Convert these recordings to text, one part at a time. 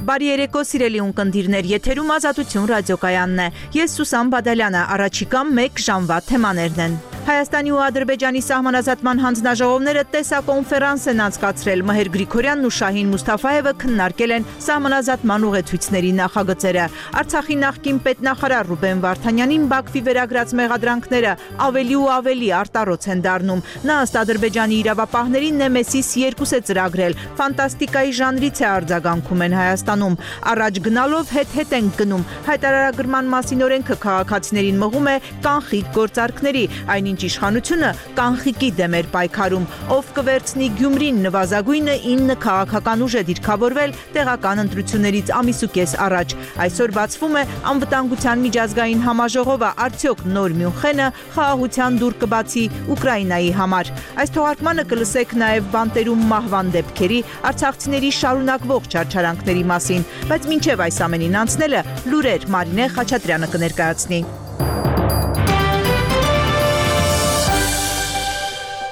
Բարի երեկո սիրելի ունկնդիրներ, եթերում Ազատություն ռադիոկայանն է։ Ես Սուսան Բադալյանը, առաջիկա 1 ժամվա թեմաներն են։ Հայաստանի ու Ադրբեջանի սահմանազատման հանձնաժողովները տեսակոնֆերանս են անցկացրել։ Մհեր Գրիգորյանն ու Շահին Մուսթաֆայևը քննարկել են սահմանազատման ուղեցույցների նախագծերը։ Արցախի նախկին պետնախարար Ռուբեն Վարդանյանին Բաքվի վերագրած մեղադրանքները ավելի ու ավելի արտառոց են դառնում։ Նա ըստ Ադրբեջանի իրավապահների Նեմեսիս 2 է ծրագրել։ Ֆանտաստիկայի ժանրից է արձագանքում են Հայաստանում։ Առաջ գնալով հետ են գնում։ Հայտարարագրման մասին օրենքը քաղաքացիներին մղում է կանխիկ գործարքների, այնինչ իշխանությունը կանխիկի դեմ էր պայքարում։ Ով կվերցնի Գյումրին նվազագույնը 9 քաղաքական ուժ է դիրքավորվել տեղական ընտրություններից ամիսուկես առաջ։ Այսօր բացվում է անվտանգության միջազգային համաժողովը, արդյոք նոր Մյունխենը խաղաղության դուռ կբացի Ուկրաինայի համար։ Այս թողարկմանը կլսեք նաև բանտերում մահվան դեպքերի, արցախցիների շարունակվող չարչարանքների մասին, բայց մինչև այս ամենին անցնելը լուրեր Մարինե Խաչատրյանը կներկայացնի։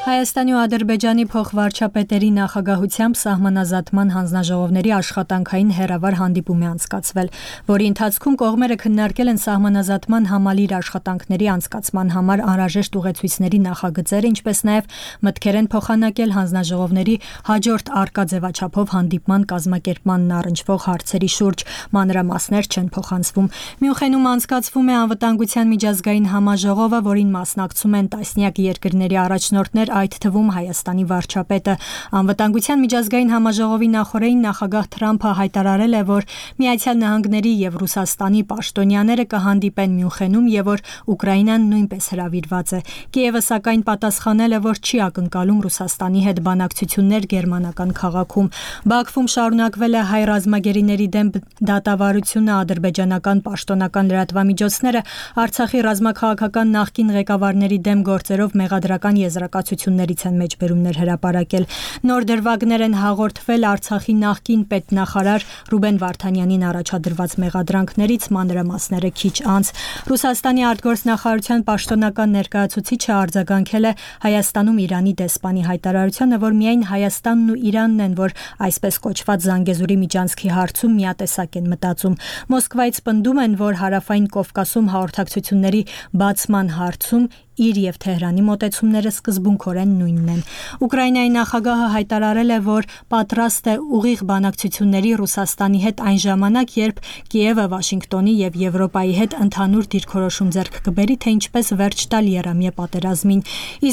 Հայաստանի ու Ադրբեջանի փոխվարչապետերի նախագահությամբ սահմանազատման հանձնաժողովների աշխատանքային հերավար հանդիպում է անցկացվել, որի ընթացքում կողմերը քննարկել են սահմանազատման համալիր աշխատանքների անցկացման համար անհրաժեշտ ուղեցույցների նախագծերը, ինչպես նաև մտքեր են փոխանակել հանձնաժողովների հաջորդ առկա ձևաչափով հանդիպման կազմակերպմանն առնչվող հարցերի շուրջ, մանրամասներ չեն փոխանցվում։ Մյունխենում անցկացվում է անվտանգության միջազգային համաժողովը, որին մասնակցում են տասնյակ երկրների առաջնորդներ, այդ թվում Հայաստանի վարչապետը։ Անվտանգության միջազգային համաժողովի նախօրեին նախագահ Թրամփը հայտարարել է, որ Միացյալ Նահանգների եւ Ռուսաստանի պաշտոնյաները կհանդիպեն Մյունխենում եւ որ Ուկրաինան նույնպես հրավիրված է։ Կիևը սակայն պատասխանել է, որ չի ակնկալում Ռուսաստանի հետ բանակցություններ գերմանական քաղաքում։ Բաքվում շարունակվել է հայ ռազմագերիների դեմ դատավարությունը, ադրբեջանական պաշտոնական լրատվամիջոցները Արցախի ռազմաքաղաքական նախկին ղեկավարների դեմ գործերով մեղադրական եզրակացություններից են մեջբերումներ հրապարակել։ Նոր դրվագներ են հաղորդվել Արցախի նախկին պետնախարար Ռուբեն Վարդանյանին առաջադրված մեղադրանքներից, մանրամասները քիչ անց։ Ռուսաստանի արտգործնախարարության պաշտոնական ներկայացուցիչը արձագանքել է Հայաստանում Իրանի դեսպանի հայտարարությանը, որ միայն Հայաստանն ու Իրանն են, որ այսպես կոչված Զանգեզուրի միջանցքի հարցում միատեսակ են մտածում։ Մոսկվայից պնդում են, որ Հարավային Կովկասում հաղորդակցությունների բացման հարցում իր եւ Թեհրանի մոտեցումները սկզբունքորեն նույնն են։ Ուկրաինայի նախագահը հայտարարել է, որ պատրաստ է ուղիղ բանակցությունների Ռուսաստանի հետ այն ժամանակ, երբ Կիևը Վաշինգտոնի եւ Եվրոպայի հետ ընդհանուր դիրքորոշում ձեռք կբերի, թե ինչպես վերջ տալ եռամյա պատերազմին։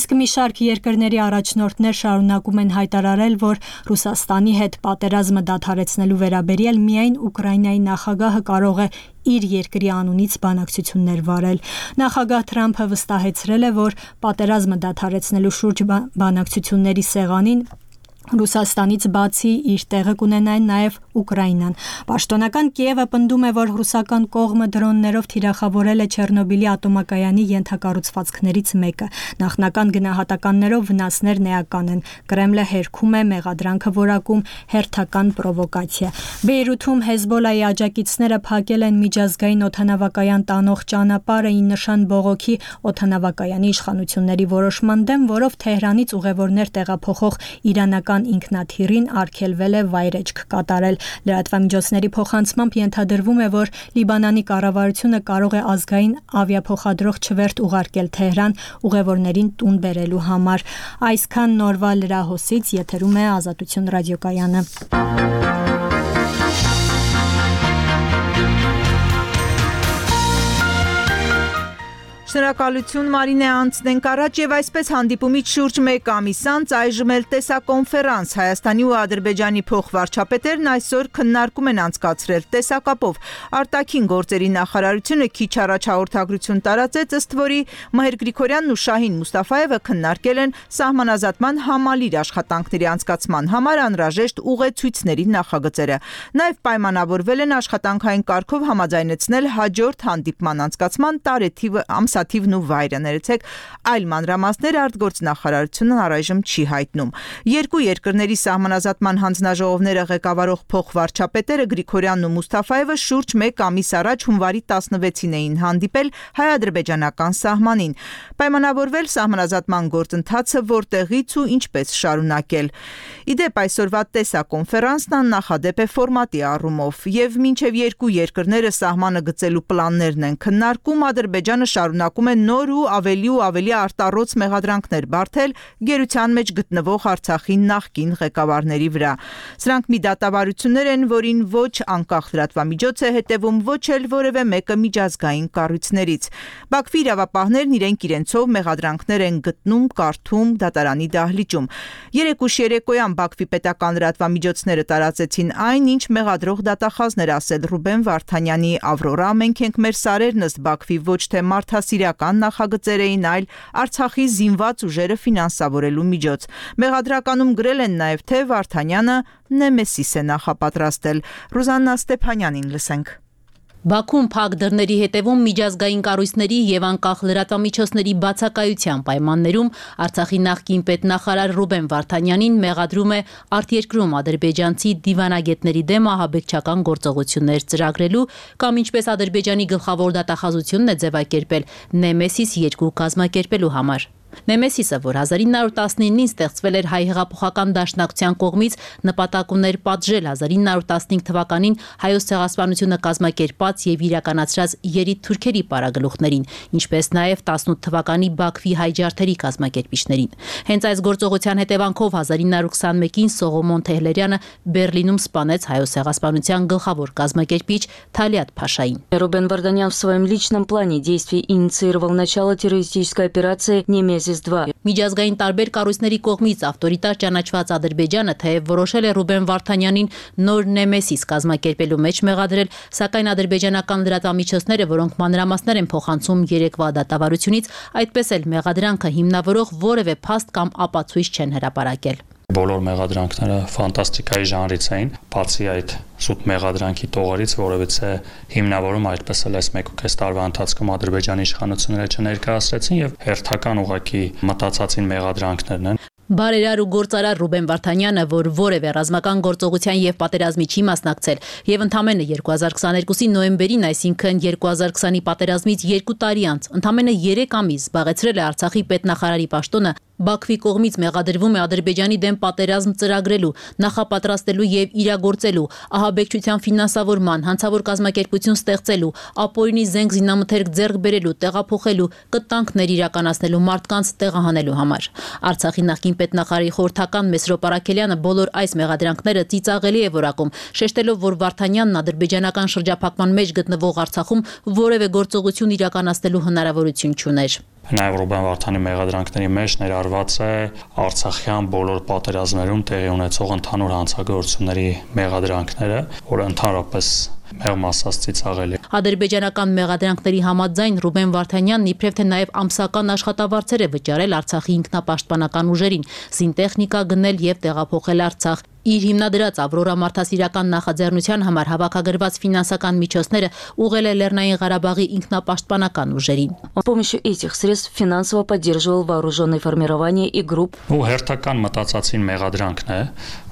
Իսկ մի շարք երկրների առաջնորդներ շարունակում են հայտարարել, որ Ռուսաստանի հետ պատերազմը դադարեցնելու վերաբերյալ միայն Ուկրաինայի նախագահը կարող է իր երկրի անունից բանակցություններ վարել։ Նախագահ Թրամփը վստահեցրել է, որ պատերազմը դադարեցնելու շուրջ բանակցությունների սեղանին Ռուսաստանից բացի իր տեղը կունենա նաև Ուկրաինան։ Պաշտոնական Կիևը պնդում է, որ ռուսական կողմը դրոններով թիրախավորել է Չեռնոբիլի ատոմակայանի ենթակառուցվածքներից մեկը։ Նախնական գնահատականներով վնասներն էական են։ Կրեմլը հերքում է մեղադրանքը որակում հերթական պրովոկացիա։ Բեյրութում Հեզբոլայի աջակիցները փակել են միջազգային օդանավակայան տանող ճանապարհը ի նշան բողոքի օդանավակայանի իշխանությունների որոշման դեմ, որով Թեհրանից ուղևորներ տեղափոխող իրանական ինքնաթիռին արգելվել է վայրեջք կատարել։ Լրատվամիջոցների փոխանցմամբ ենթադրվում է, որ Լիբանանի կառավարությունը կարող է ազգային ավիափոխադրող չվերթ ուղարկել Թեհրան ուղևորներին տուն բերելու համար։ Այսքան նորվա լրահոսից, եթերում է Ազատություն ռադիոկայանը։ Շնորհակալություն Մարինե, անցնենք առաջ եւ այսպես հանդիպումից շուրջ 1 ամիս անց այժմ էլ տեսակոնֆերանս Հայաստանի ու Ադրբեջանի փոխվարչապետերն այսօր քննարկում են անցկացրել տեսակապով։ Արտաքին գործերի նախարարությունը քիչ առաջ հաղորդագրություն տարածեց, ըստ որի Մհեր Գրիգորյանն ու Շահին Մուսթաֆայևը քննարկել են սահմանազատման համալիր աշխատանքների անցկացման համար անհրաժեշտ ուղեցույցների նախագծերը։ Նաեւ պայմանավորվել են աշխատանքային կարգով համաձայնեցնել հաջորդ հանդիպման անցկացման տարեթիվը ամսաթիվն ու վայրը։ Ներեցեք, այլ մանրամասներ արտգործնախարարությունն առայժմ չի հայտնում։ Երկու երկրների սահմանազատման հանձնաժողովները ղեկավարող փոխվարչապետերը Գրիգորյանն ու Մուստաֆաևը շուրջ 1 ամիս առաջ հունվարի 16-ին էին հանդիպել հայ-ադրբեջանական սահմանին, պայմանավորվել սահմանազատման գործընթացը որտեղից ու ինչպես շարունակել։ Իդեպ այսօրվա տեսակոնֆերանսն աննախադեպ է ֆորմատի առումով, եւ մինչեւ երկու երկրները սահմանը գծելու պլաններն են քննարկում, Ադրբեջանը շարունակում է նոր ու ավելի արտառոց մեղադրանքներ բարթել գերության մեջ գտնվող Արցախի նախկին ղեկավարների վրա։ Սրանք մի դատավարություններ են, որին ոչ անկախ լրատվամիջոց է հետևում, ոչ էլ որևէ մեկը միջազգային կառույցներից։ Բաքվի իրավապահներն իրենցով մեղադրանքներ են գտնում, կարդում դատարանի դահլիճում։ Երեկուշ երեկոյան Բաքվի պետական լրատվամիջոցները տարածեցին այն, ինչ մեղադրող դատախազներ ասել Ռուբեն Վարդանյանի «Ավրորա, մենք ենք մեր սարերն» ըստ Բաքվի ոչ թե մարդասիրական նախագծեր էին, այլ Արցախի զինված ուժերը ֆինանսավորելու միջոց։ Մեղադրականում գրել են նաև, թե Վարդանյանը Նեմեսիս է նախապատրաստել։ Ռուզաննա Ստեփանյանին լսենք։ Բաքուն փակ դռների հետևում միջազգային կառույցների եւ անկախ լրատվամիջոցների բացակայության պայմաններում Արցախի նախկին պետնախարար Ռուբեն Վարդանյանին մեղադրում է արտերկրում ադրբեջանցի դիվանագետների դեմ ահաբեկչական գործողություններ ծրագրելու կամ ինչպես Ադրբեջանի գլխավոր դատախազությունն է ձևակերպել Նեմեսիս 2 կազմակերպելու համար։ Նեմեսիսը, որ 1919-ին ստեղծվել էր հայ հեղափոխական դաշնակցության կողմից, նպատակ ուներ պատժել 1915 թվականին հայոց ցեղասպանությունը կազմակերպած եւ իրականացրած երիտ թուրքերի պարագլուխներին, ինչպես նաեւ 18 թվականի Բաքվի հայ ջարդերի կազմակերպիչներին։ Հենց այս գործողության հետևանքով 1921-ին Սողոմոն Թեհլերյանը Բերլինում սպանեց հայոց ցեղասպանության գլխավոր կազմակերպիչ Թալիատ Փաշային։ Рубен Варданян в своем личном плане действий инициировал начало террористической операции «Немес». Միջազգային տարբեր կառույցների կողմից ավտորիտար ճանաչված Ադրբեջանը թեև որոշել է Ռուբեն Վարդանյանին նոր Նեմեսիս կազմակերպելու մեջ մեղադրել, սակայն ադրբեջանական լրատվամիջոցները, որոնք մանրամասներ են փոխանցում երեկվա դատավարությունից, այդպես էլ մեղադրանքը հիմնավորող որևէ փաստ կամ ապացույց չեն հրապարակել։ Բոլոր մեղադրանքները ֆանտաստիկայի ժանրից էին, բացի այդ սուտ մեղադրանքի տողերից, որովհետեւ հիմնավորում այդպես էլ այս 1.5 տարվա ընթացքում Ադրբեջանի իշխանությունները չներկայացրեցին եւ հերթական ուղղակի մտածածին մեղադրանքներն են։ Բարերար ու գործարար Ռուբեն Վարդանյանը, որ որևէ ռազմական գործողության եւ պատերազմի չի մասնակցել եւ ընդամենը 2022-ի նոյեմբերին, այսինքն 2020-ի պատերազմից 2 տարի անց, ընդամենը 3 ամիս զբաղեցրել է Արցախի պետնախարարի պաշտոնը, Բաքվի կողմից մեղադրվում է Ադրբեջանի դեմ պատերազմ ծրագրելու, նախապատրաստելու եւ իրագործելու, ահաբեկչության ֆինանսավորման, հանցավոր կազմակերպություն ստեղծելու, ապօրինի զենք զինամթերք ձեռք բերելու, տեղափոխելու, կտանքներ իրականացնելու, մարդկանց տեղահանելու համար։ Արցախի նախկին պետնախարարի խորհրդական Մեսրոպ Արաքելյանը բոլոր այս մեղադրանքները ծիծաղելի է որակում, շեշտելով, որ Վարդանյանն ադրբեջանական շրջափակման մեջ գտնվող Արցախում որևէ գործողություն իրականացնելու հնարավորություն չուներ։ Նաև Ռուբեն Վարդանի մեղադրանքների մեջ ներառված է Արցախյան բոլոր պատերազմներում տեղի ունեցող ընդհանուր հանցագործությունների մեղադրանքները, որը ընդհանրապես մեղմ ասած ծիծաղելի։ Ադրբեջանական մեղադրանքների համաձայն Ռուբեն Վարդանյանն իբրև թե նաև ամսական աշխատավարձեր է վճարել Արցախի ինքնապաշտպանական ուժերին, զինտեխնիկա գնել եւ տեղափոխել Արցախ։ Իր հիմնադրած Ավրորա մարդասիրական նախաձեռնության համար հավաքագրված ֆինանսական միջոցները ուղղել է Լեռնային Ղարաբաղի ինքնապաշտպանական ուժերին։ С помощью этих средств финансово поддерживал вооруженные формирования и групп. Ու հերթական մտածածին մեղադրանքն է,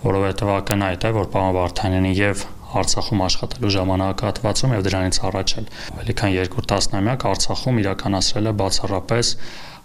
որովհետև ակնհայտ է, որ պարոն Վարդանյանը եւ Արցախում աշխատելու ժամանակահատվածում եւ դրանից առաջ էլ ավելի քան 2 տասնամյակ Արցախում իրականացրել է բացառապես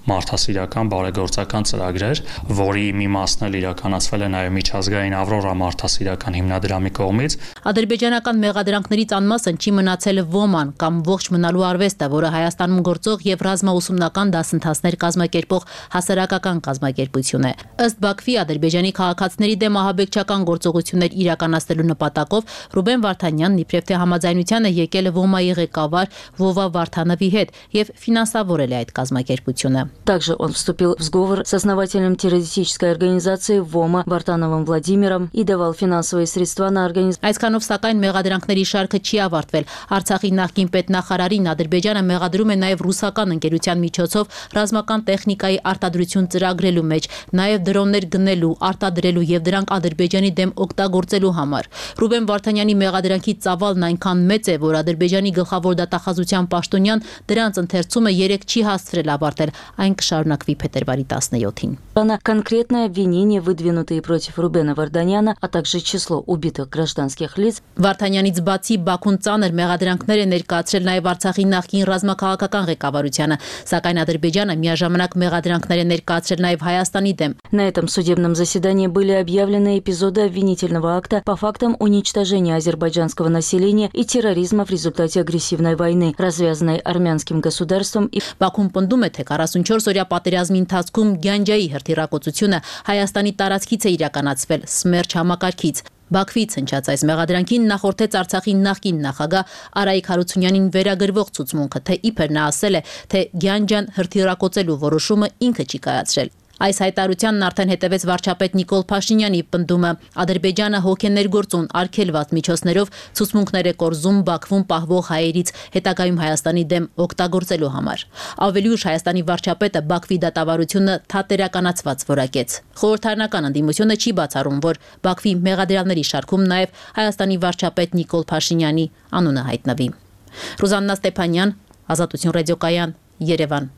մարդասիրական բարեգործական ծրագրեր, որի մի մասն էլ իրականացվել է նաև միջազգային Ավրորա մարդասիրական հիմնադրամի կողմից։ Ադրբեջանական մեղադրանքներից անմասն չի մնացել ոման կամ ողջ մնալու արվեստը, որը Հայաստանում գործող եւ ռազմաուսումնական դասընթացներ կազմակերպող հասարակական կազմակերպություն է։ Ըստ Բաքվի, Ադրբեջանի քաղաքացիների դեմ ահաբեկչական գործողություններ իրականացնելու նպատակով Ռուբեն Վարդանյանն իբրև թե համաձայնության է եկել ոմայի ղեկավար Վովա Վարդանովի հետ եւ ֆինանսավորել է այդ կազմակերպությունը։ Также он вступил в сговор с основателем террористической организации ВОМА Вартановым Владимиром и давал финансовые средства на организацию. Այսքանով սակայն մեղադրանքների շարքը չի ավարտվել։ Արցախի նախկին պետնախարարին Ադրբեջանը մեղադրում է նաև ռուսական ընկերության միջոցով ռազմական տեխնիկայի արտադրություն ծրագրելու մեջ, նաև դրոններ գնելու, արտադրելու եւ դրանք Ադրբեջանի դեմ օգտագործելու համար։ Ռուբեն Վարդանյանի մեղադրանքի ծավալն այնքան մեծ է, որ Ադրբեջանի գլխավոր դատախազության պաշտոնյան դրանց ընթերցումը 3 չի հասցրել ավարտել, այն կշարունակվի փետրվարի 17-ին։ Конкретное обвинение, выдвинутые против Рубена Варданяна, а также число убитых гражданских лиц. Վարդանյանից բացի Բաքուն ծանր մեղադրանքներ է ներկայացրել նաև Արցախի նախկին ռազմաքաղաքական ղեկավարությանը, սակայն Ադրբեջանը միաժամանակ մեղադրանքներ է ներկայացրել նաև Հայաստանի դեմ։ На этом судебном заседании были объявлены эпизоды обвинительного акта по фактам уничтожения азербайджанского населения и терроризма в результате агрессивной войны, развязанной армянским государством. Բաքուն պնդում է, թե 44-օրյա պատերազմի ընթացքում Գյանջայի հրթիռակոծությունը Հայաստանի տարածքից է իրականացվել, Սմերջ համակարգից։ Բաքվից հնչած այս մեղադրանքին նախորդեց Արցախի նախկին նախագահ Արայիկ Հարությունյանին վերագրվող ցուցմունքը, թե իբր նա ասել է, թե Գյանջան հրթիռակոծելու որոշումը ինքը չի կայացրել։ Այս հայտարարությանն արդեն հետևեց վարչապետ Նիկոլ Փաշինյանի պնդումը։ Ադրբեջանը հոգեներգործուն արգելված միջոցներով ցուցմունքներ է կորզում Բաքվում պահվող հայերից հետագայում Հայաստանի դեմ օգտագործելու համար։ Ավելի ուշ Հայաստանի վարչապետը Բաքվի դատավարությունը թատերականացված որակեց։ Խորհրդարանական ընդդիմությունը չի բացառում, որ Բաքվի մեղադրյալների շարքում նաև Հայաստանի վարչապետ Նիկոլ Փաշինյանի անունը հայտնվի։ Ռուզաննա Ստեփանյան, Ազատություն ռադիոկայան, Երևան։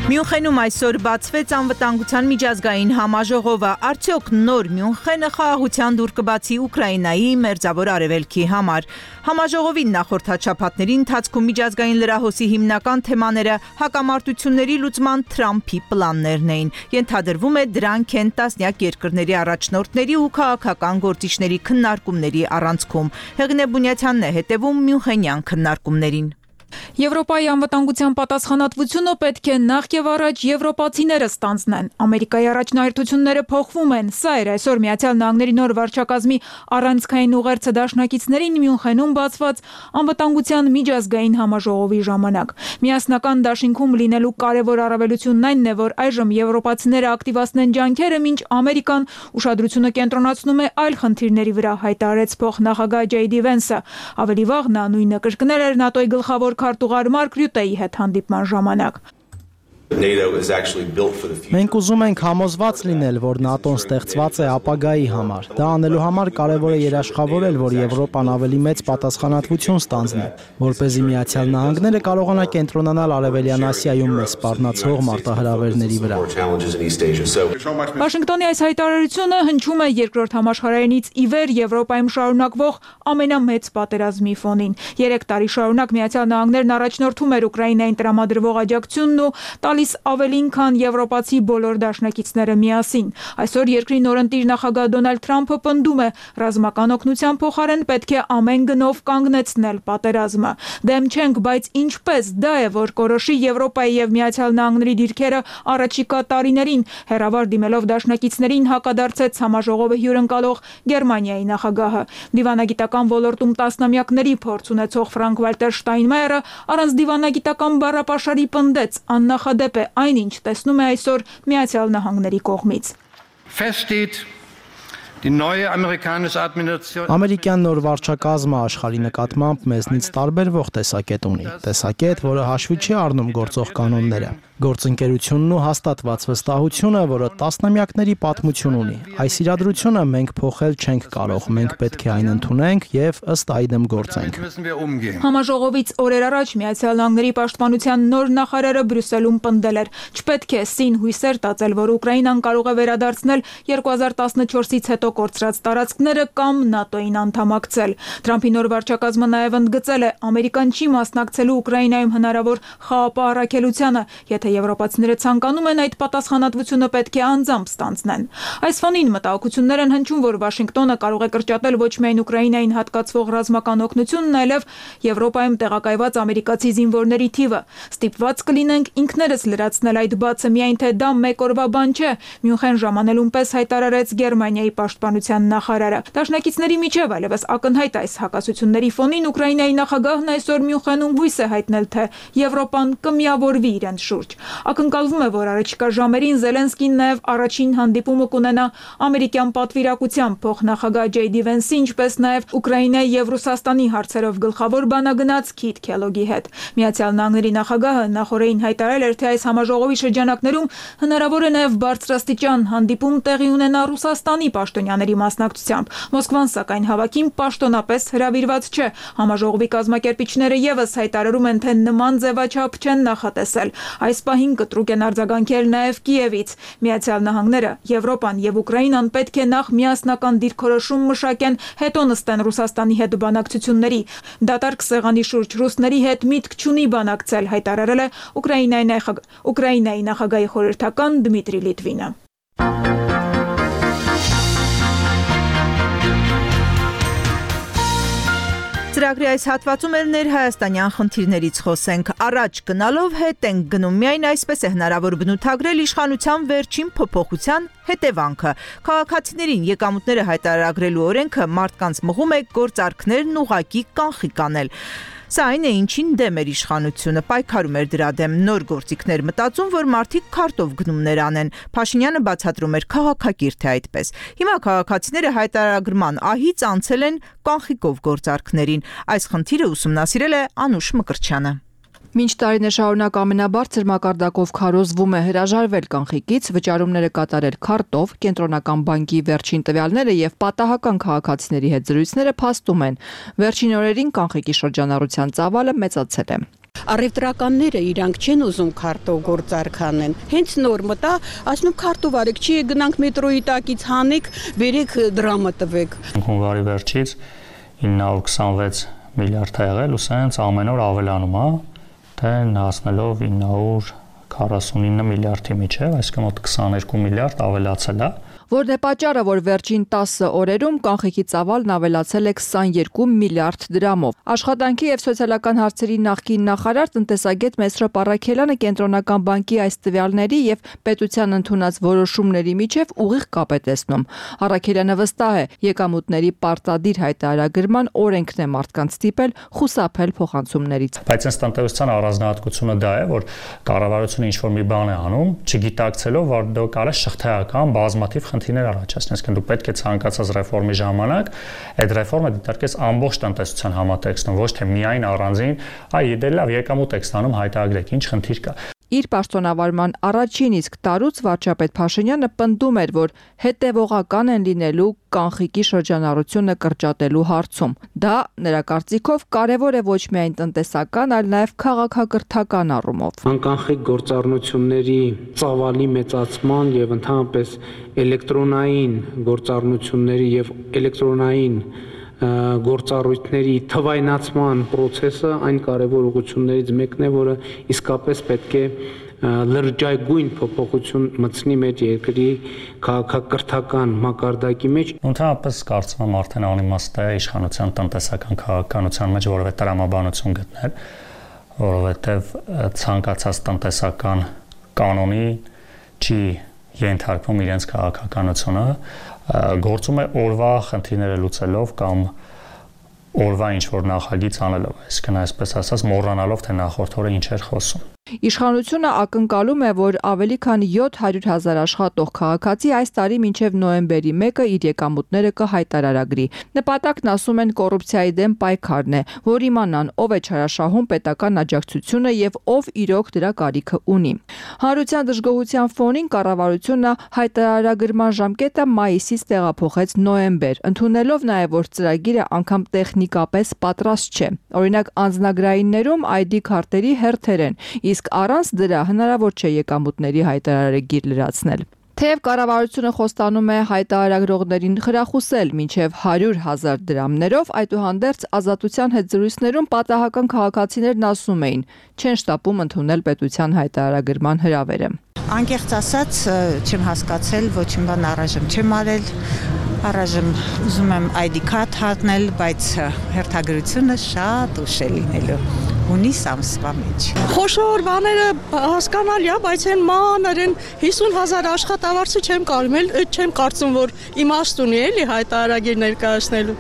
Մյունխենում այսօր բացվեց անվտանգության միջազգային համաժողովը, արդյոք նոր Մյունխենը խաղաղության դուռ կբացի Ուկրաինայի մերձավոր արևելքի համար։ Համաժողովի նախորդ հաճապատների ընթացքում միջազգային լրահոսի հիմնական թեմաները հակամարտությունների լուծման Թրամփի պլաններն էին։ Ենթադրվում է դրանք են տասնյակ երկրների առաջնորդների ու քաղաքական գործիչների քննարկումների առանցքում։ Հեղինե Բունյաթյանն է հետևում Մյունխենյան քննարկումներին։ Եվրոպայի անվտանգության պատասխանատվությունը պետք է նախ եւ առաջ եվրոպացիները ստանձնեն։ Ամերիկայի առաջնահերթությունները փոխվում են։ Սա էր այսօր Միացյալ Նահանգների նոր վարչակազմի առանցքային ուղերձը դաշնակիցներին Մյունխենում բացված անվտանգության միջազգային համաժողովի ժամանակ։ Միասնական դաշինքում լինելու կարևոր առավելությունն այն է, որ այժմ եվրոպացիները ակտիվացնեն ջանքերը, մինչ Ամերիկան ուշադրությունը կենտրոնացնում է այլ խնդիրների վրա, հայտարարեց փոխնախագահ Ջեյ Վենսը։ Ավելի վաղ նա նույնը կրկնել էր ՆԱՏՕ-ի գլխավոր քարտուղար Մարկ Ռյուտեի հետ հանդիպման ժամանակ։ Մենք ուզում ենք համոզված լինել, որ ՆԱՏՕ-ն ստեղծված է ապագայի համար։ Դա անելու համար կարևոր է երաշխավորել, որ Եվրոպան ավելի մեծ պատասխանատվություն ստանձնի, որպեսզի Միացյալ Նահանգները կարողանա կենտրոնանալ Արևելյան Ասիայում մեզ սպառնացող մարտահրավերների վրա։ Վաշինգտոնի այս հայտարարությունը հնչում է երկրորդ համաշխարհայինից ի վեր Եվրոպայում շարունակվող ամենամեծ պատերազմի ֆոնին։ 3 տարի շարունակ Միացյալ Նահանգներն առաջնորդում էր Ուկրաինային տրամադրվող աջակցությունն ու տալիս ավելին, քան եվրոպացի բոլոր դաշնակիցները միասին։ Այսօր երկրի նորընտիր նախագահ Դոնալդ Թրամփը պնդում է, ռազմական օգնության փոխարեն պետք է ամեն գնով կանգնեցնել պատերազմը։ Դեմ չենք, բայց ինչպես դա է, որ կորոշի Եվրոպայի եւ Միացյալ Նահանգների դիրքերը առաջիկա տարիներին, հերավար դիմելով դաշնակիցներին հակադարձեց համաժողովը հյուրընկալող Գերմանիայի նախագահը։ Դիվանագիտական ոլորտում տասնամյակների փորձ ունեցող Ֆրանկ Վալտեր Շտայնմայերը առանց դիվանագիտական բառապաշարի պնդեց, աննախադեպ է այնինչ տեսնում է այսօր Միացյալ Նահանգների կողմից։ Ամերիկյան նոր վարչակազմը աշխարհի նկատմամբ մեզնից տարբերվող տեսակետ ունի։ Տեսակետ, որը հաշվի չի առնում գործող կանոնները։ Գործընկերությունն ու հաստատված վստահությունը, որը տասնամյակների պատմություն ունի։ Այս իրադրությունը մենք փոխել չենք կարող, մենք պետք է այն ընդունենք եւ ըստ այդմ գործենք։ Համաժողովից օրեր առաջ Միացյալ Նահանգների պաշտպանության նոր նախարարը Բրյուսելում պնդել էր. չպետք է սին հույսեր տածել, որ Ուկրաինան կարող է վերադարձնել 2014-ից հետո կորցրած տարածքները կամ ՆԱՏՕ-ին անդամակցել։ Թրամփի նոր վարչակազմը նաև ընդգծել է, Ամերիկան չի մասնակցելու Ուկրաինայում հնարավոր խաղապահ առաքելությանը, եթե թե եվրոպացիները ցանկանում են այդ պատասխանատվությունը պետք է անձամբ ստանձնեն։ Այս ֆոնին մտահոգություններ են հնչում, որ Վաշինգտոնը կարող է կրճատել ոչ միայն Ուկրաինային հատկացվող ռազմական օգնությունն, այլև Եվրոպայում տեղակայված ամերիկացի զինվորների թիվը։ Ստիպված կլինենք ինքներս լրացնել այդ բացը, միայն թե դա մեկ օրվա բան չէ, Մյունխեն ժամանելուն պես հայտարարեց Գերմանիայի պաշտպանության նախարարը։ Դաշնակիցների միջև այլևս ակնհայտ այս հակասությունների ֆոնին Ուկրաինայի նախագահն այսօր Մյունխենում հույս է հայտնել, թե Եվրոպան կմիավորվի իրենց շուրջ։ Ակնկալվում է, որ առաջիկա ժամերին Զելենսկին նաև առաջին հանդիպումը կունենա ամերիկյան պատվիրակության փոխնախագահ Ջեյ Դի Վենսի, ինչպես նաև Ուկրաինայի եւ Ռուսաստանի հարցերով գլխավոր բանագնաց Քիթ Քելոգի հետ։ Միացյալ Նահանգների նախագահը նախորդին հայտարարել էր, թե այս համաժողովի շրջանակներում հնարավոր է նաև բարձրաստիճան հանդիպում տեղի ունենա Ռուսաստանի պաշտոնյաների մասնակցությամբ։ Մոսկվան սակայն հավաքին պաշտոնապես հրավիրված չէ։ Համաժողովի կազմակերպիչները եւս հայտարարում են, թե նման ձևաչափ չեն նախատեսել։ Այս պահին կտրուկ են արձագանքել նաև Կիևից։ Միացյալ Նահանգները, Եվրոպան եւ Ուկրաինան պետք է նախ միասնական դիրքորոշում մշակեն, հետո նստեն Ռուսաստանի հետ բանակցությունների։ Դատարկ սեղանի շուրջ ռուսների հետ միտք չունի բանակցել, հայտարարել է Ուկրաինայի նախագահի խորհրդական Դմիտրի Լիտվինը։ Ծրագրի այս հատվածում էլ ներհայաստանյան խնդիրներից խոսենք։ Առաջ գնալով հետ ենք գնում, միայն այսպես է հնարավոր բնութագրել իշխանության վերջին փոփոխության հետևանքը։ Քաղաքացիներին եկամուտները հայտարարագրելու օրենքը մարդկանց մղում է գործարքներն ուղղակի կանխիկ անել։ Սա այն է, ինչին դեմ էր իշխանությունը, պայքարում էր դրա դեմ, նոր գործիքներ մտածում, որ մարդիկ քարտով գնումներ անեն։ Փաշինյանը բացատրում էր քաղաքակիրթ է այդպես։ Հիմա քաղաքացիները հայտարարագրման ահից անցել են կանխիկով գործարքներին։ Այս խնդիրը ուսումնասիրել է Անուշ Մկրտչյանը։ Մինչ տարիներ շարունակ ամենաբարձր մակարդակով քարոզվում է հրաժարվել կանխիկից, վճարումները կատարել քարտով, կենտրոնական բանկի վերջին տվյալները եւ պատահական քաղաքացիների հետ զրույցները փաստում են։ Վերջին օրերին կանխիկի շրջանառության ծավալը մեծացել է։ Առևտրականները իրանք չեն ուզում քարտով գործարք անեն։ Հենց նոր մտա, ասում քարտով արեք, չի գնանք մետրոյի տակից հանեք, բերեք դրամը տվեք։ Հունվարի վերջից 926 միլիարդ է եղել, ու սենց ամեն օր ավելանում է, թե հասնելով 949 միլիարդի միջև, այսինքն մոտ 22 միլիարդ ավելացել է։ Որն է պատճառը, որ վերջին 10 օրերում կանխիկի ծավալն ավելացել է 22 միլիարդ դրամով։ Աշխատանքի եւ սոցիալական հարցերի նախկին նախարար տնտեսագետ Մեսրոպ Առաքելյանը կենտրոնական բանկի այս տվյալների եւ պետության ընդունած որոշումների միջև ուղիղ կապ է տեսնում։ Առաքելյանը վստահ է, եկամուտների պարտադիր հայտարարագրման օրենքն է մարդկանց ստիպել խուսափել փոխանցումներից։ Բայց այս տնտեսության առանձնահատկությունը դա է, որ կառավարությունը ինչ-որ մի բան է անում, չգիտակցելով, որ դա կարա շղթայական բազմաթիվ խնդիրներ առաջացնես, դու պետք է ցանկացած ռեֆորմի ժամանակ այդ ռեֆորմը դիտարկես ամբողջ տնտեսության համատեքստում, ոչ թե միայն առանձին, այ դե լավ եկամուտ եք ստանում, հայտարարեք, ինչ խնդիր կա։ Իր պաշտոնավարման առաջին իսկ տարուց վարչապետ Փաշինյանը պնդում էր, որ հետևողական են լինելու կանխիկի շրջանառությունը կրճատելու հարցում։ Դա նրա կարծիքով կարևոր է ոչ միայն տնտեսական, այլ նաև քաղաքակրթական առումով։ Անկանխիկ գործառնությունների ծավալի մեծացման եւ ընդհանրապես էլեկտրոնային գործառնությունների եւ էլեկտրոնային գործառույթների թվայնացման process-ը այն կարևոր ուղղություններից մեկն է, որը իսկապես պետք է լրջագույն փոփոխություն մտցնի մեր երկրի քաղաքակրթական մակարդակի մեջ։ Ընդհանրապես կարծում եմ արդեն անիմաստ է իշխանության տնտեսական քաղաքականության մեջ որևէ տրամաբանություն գտնել, որովհետև ցանկացած տնտեսական կանոնի չի ենթարկվում իրենց քաղաքականությունը, գործում է օրվա խնդիրները լուծելով կամ օրվա ինչ-որ նախագիծ անելով, այսինքն այսպես ասած մոռանալով, թե նախորդ օրը ինչ էր խոսում։ Իշխանությունը ակնկալում է, որ ավելի քան 700,000 աշխատող քաղաքացի այս տարի մինչև նոյեմբերի 1-ը իր եկամուտները կհայտարարագրի։ Նպատակն ասում են կոռուպցիայի դեմ պայքարն է, որ իմանան ով է չարաշահում պետական աջակցությունը եւ ով իրոք դրա կարիքը ունի։ Հանրության դժգոհության ֆոնին կառավարությունը հայտարարագրման ժամկետը մայիսից տեղափոխեց նոյեմբեր, ընդունելով նաեւ, որ ծրագիրը անգամ տեխնիկապես պատրաստ չէ։ Օրինակ անձնագրայիններում ID քարտերի հերթեր են, իսկ առանց դրա հնարավոր չէ եկամուտների հայտարարագիր լրացնել։ Թեև կառավարությունը խոստանում է հայտարարագրողներին խրախուսել մինչև 100,000 դրամներով, այդուհանդերձ Ազատության հետ զրույցներում պատահական քաղաքացիներն ասում էին, չեն շտապում ընդունել պետության հայտարարագրման հրավերը։ Անկեղծ ասած, չեմ հասկացել, ոչ մի բան առայժմ չեմ արել, առայժմ ուզում եմ ID card հատնել, բայց հերթագրությունը շատ ուշ է լինելու։ Հունիս ամսվա մեջ։ Խոշոր բաները հասկանալի է, բայց այն մանր են 50,000 աշխատավարձը չեմ կարծում, որ իմաստ ունի էլի հայտարարագիր ներկայացնելու։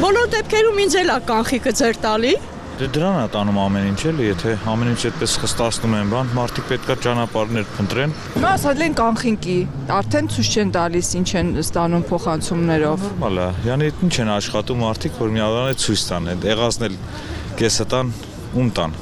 Բոլոր դեպքերում ինձ էլ է կանխիկը ձեր տալի։ Դե դրան է տանում ամեն ինչ էլի, եթե ամեն ինչ այդպես խստացնում են բան, մարդիկ պետքա ճանապարհներ փնտրեն։ Հիմա ասել են կանխինքի, արդեն ցույց չեն տալիս ինչ են ստանում փոխանցումներով։ Նորմալ է, յանի ինչ են աշխատում մարդիկ, որ միավորան ցույց տան, եղածն էլ կեսը տան, ում տան։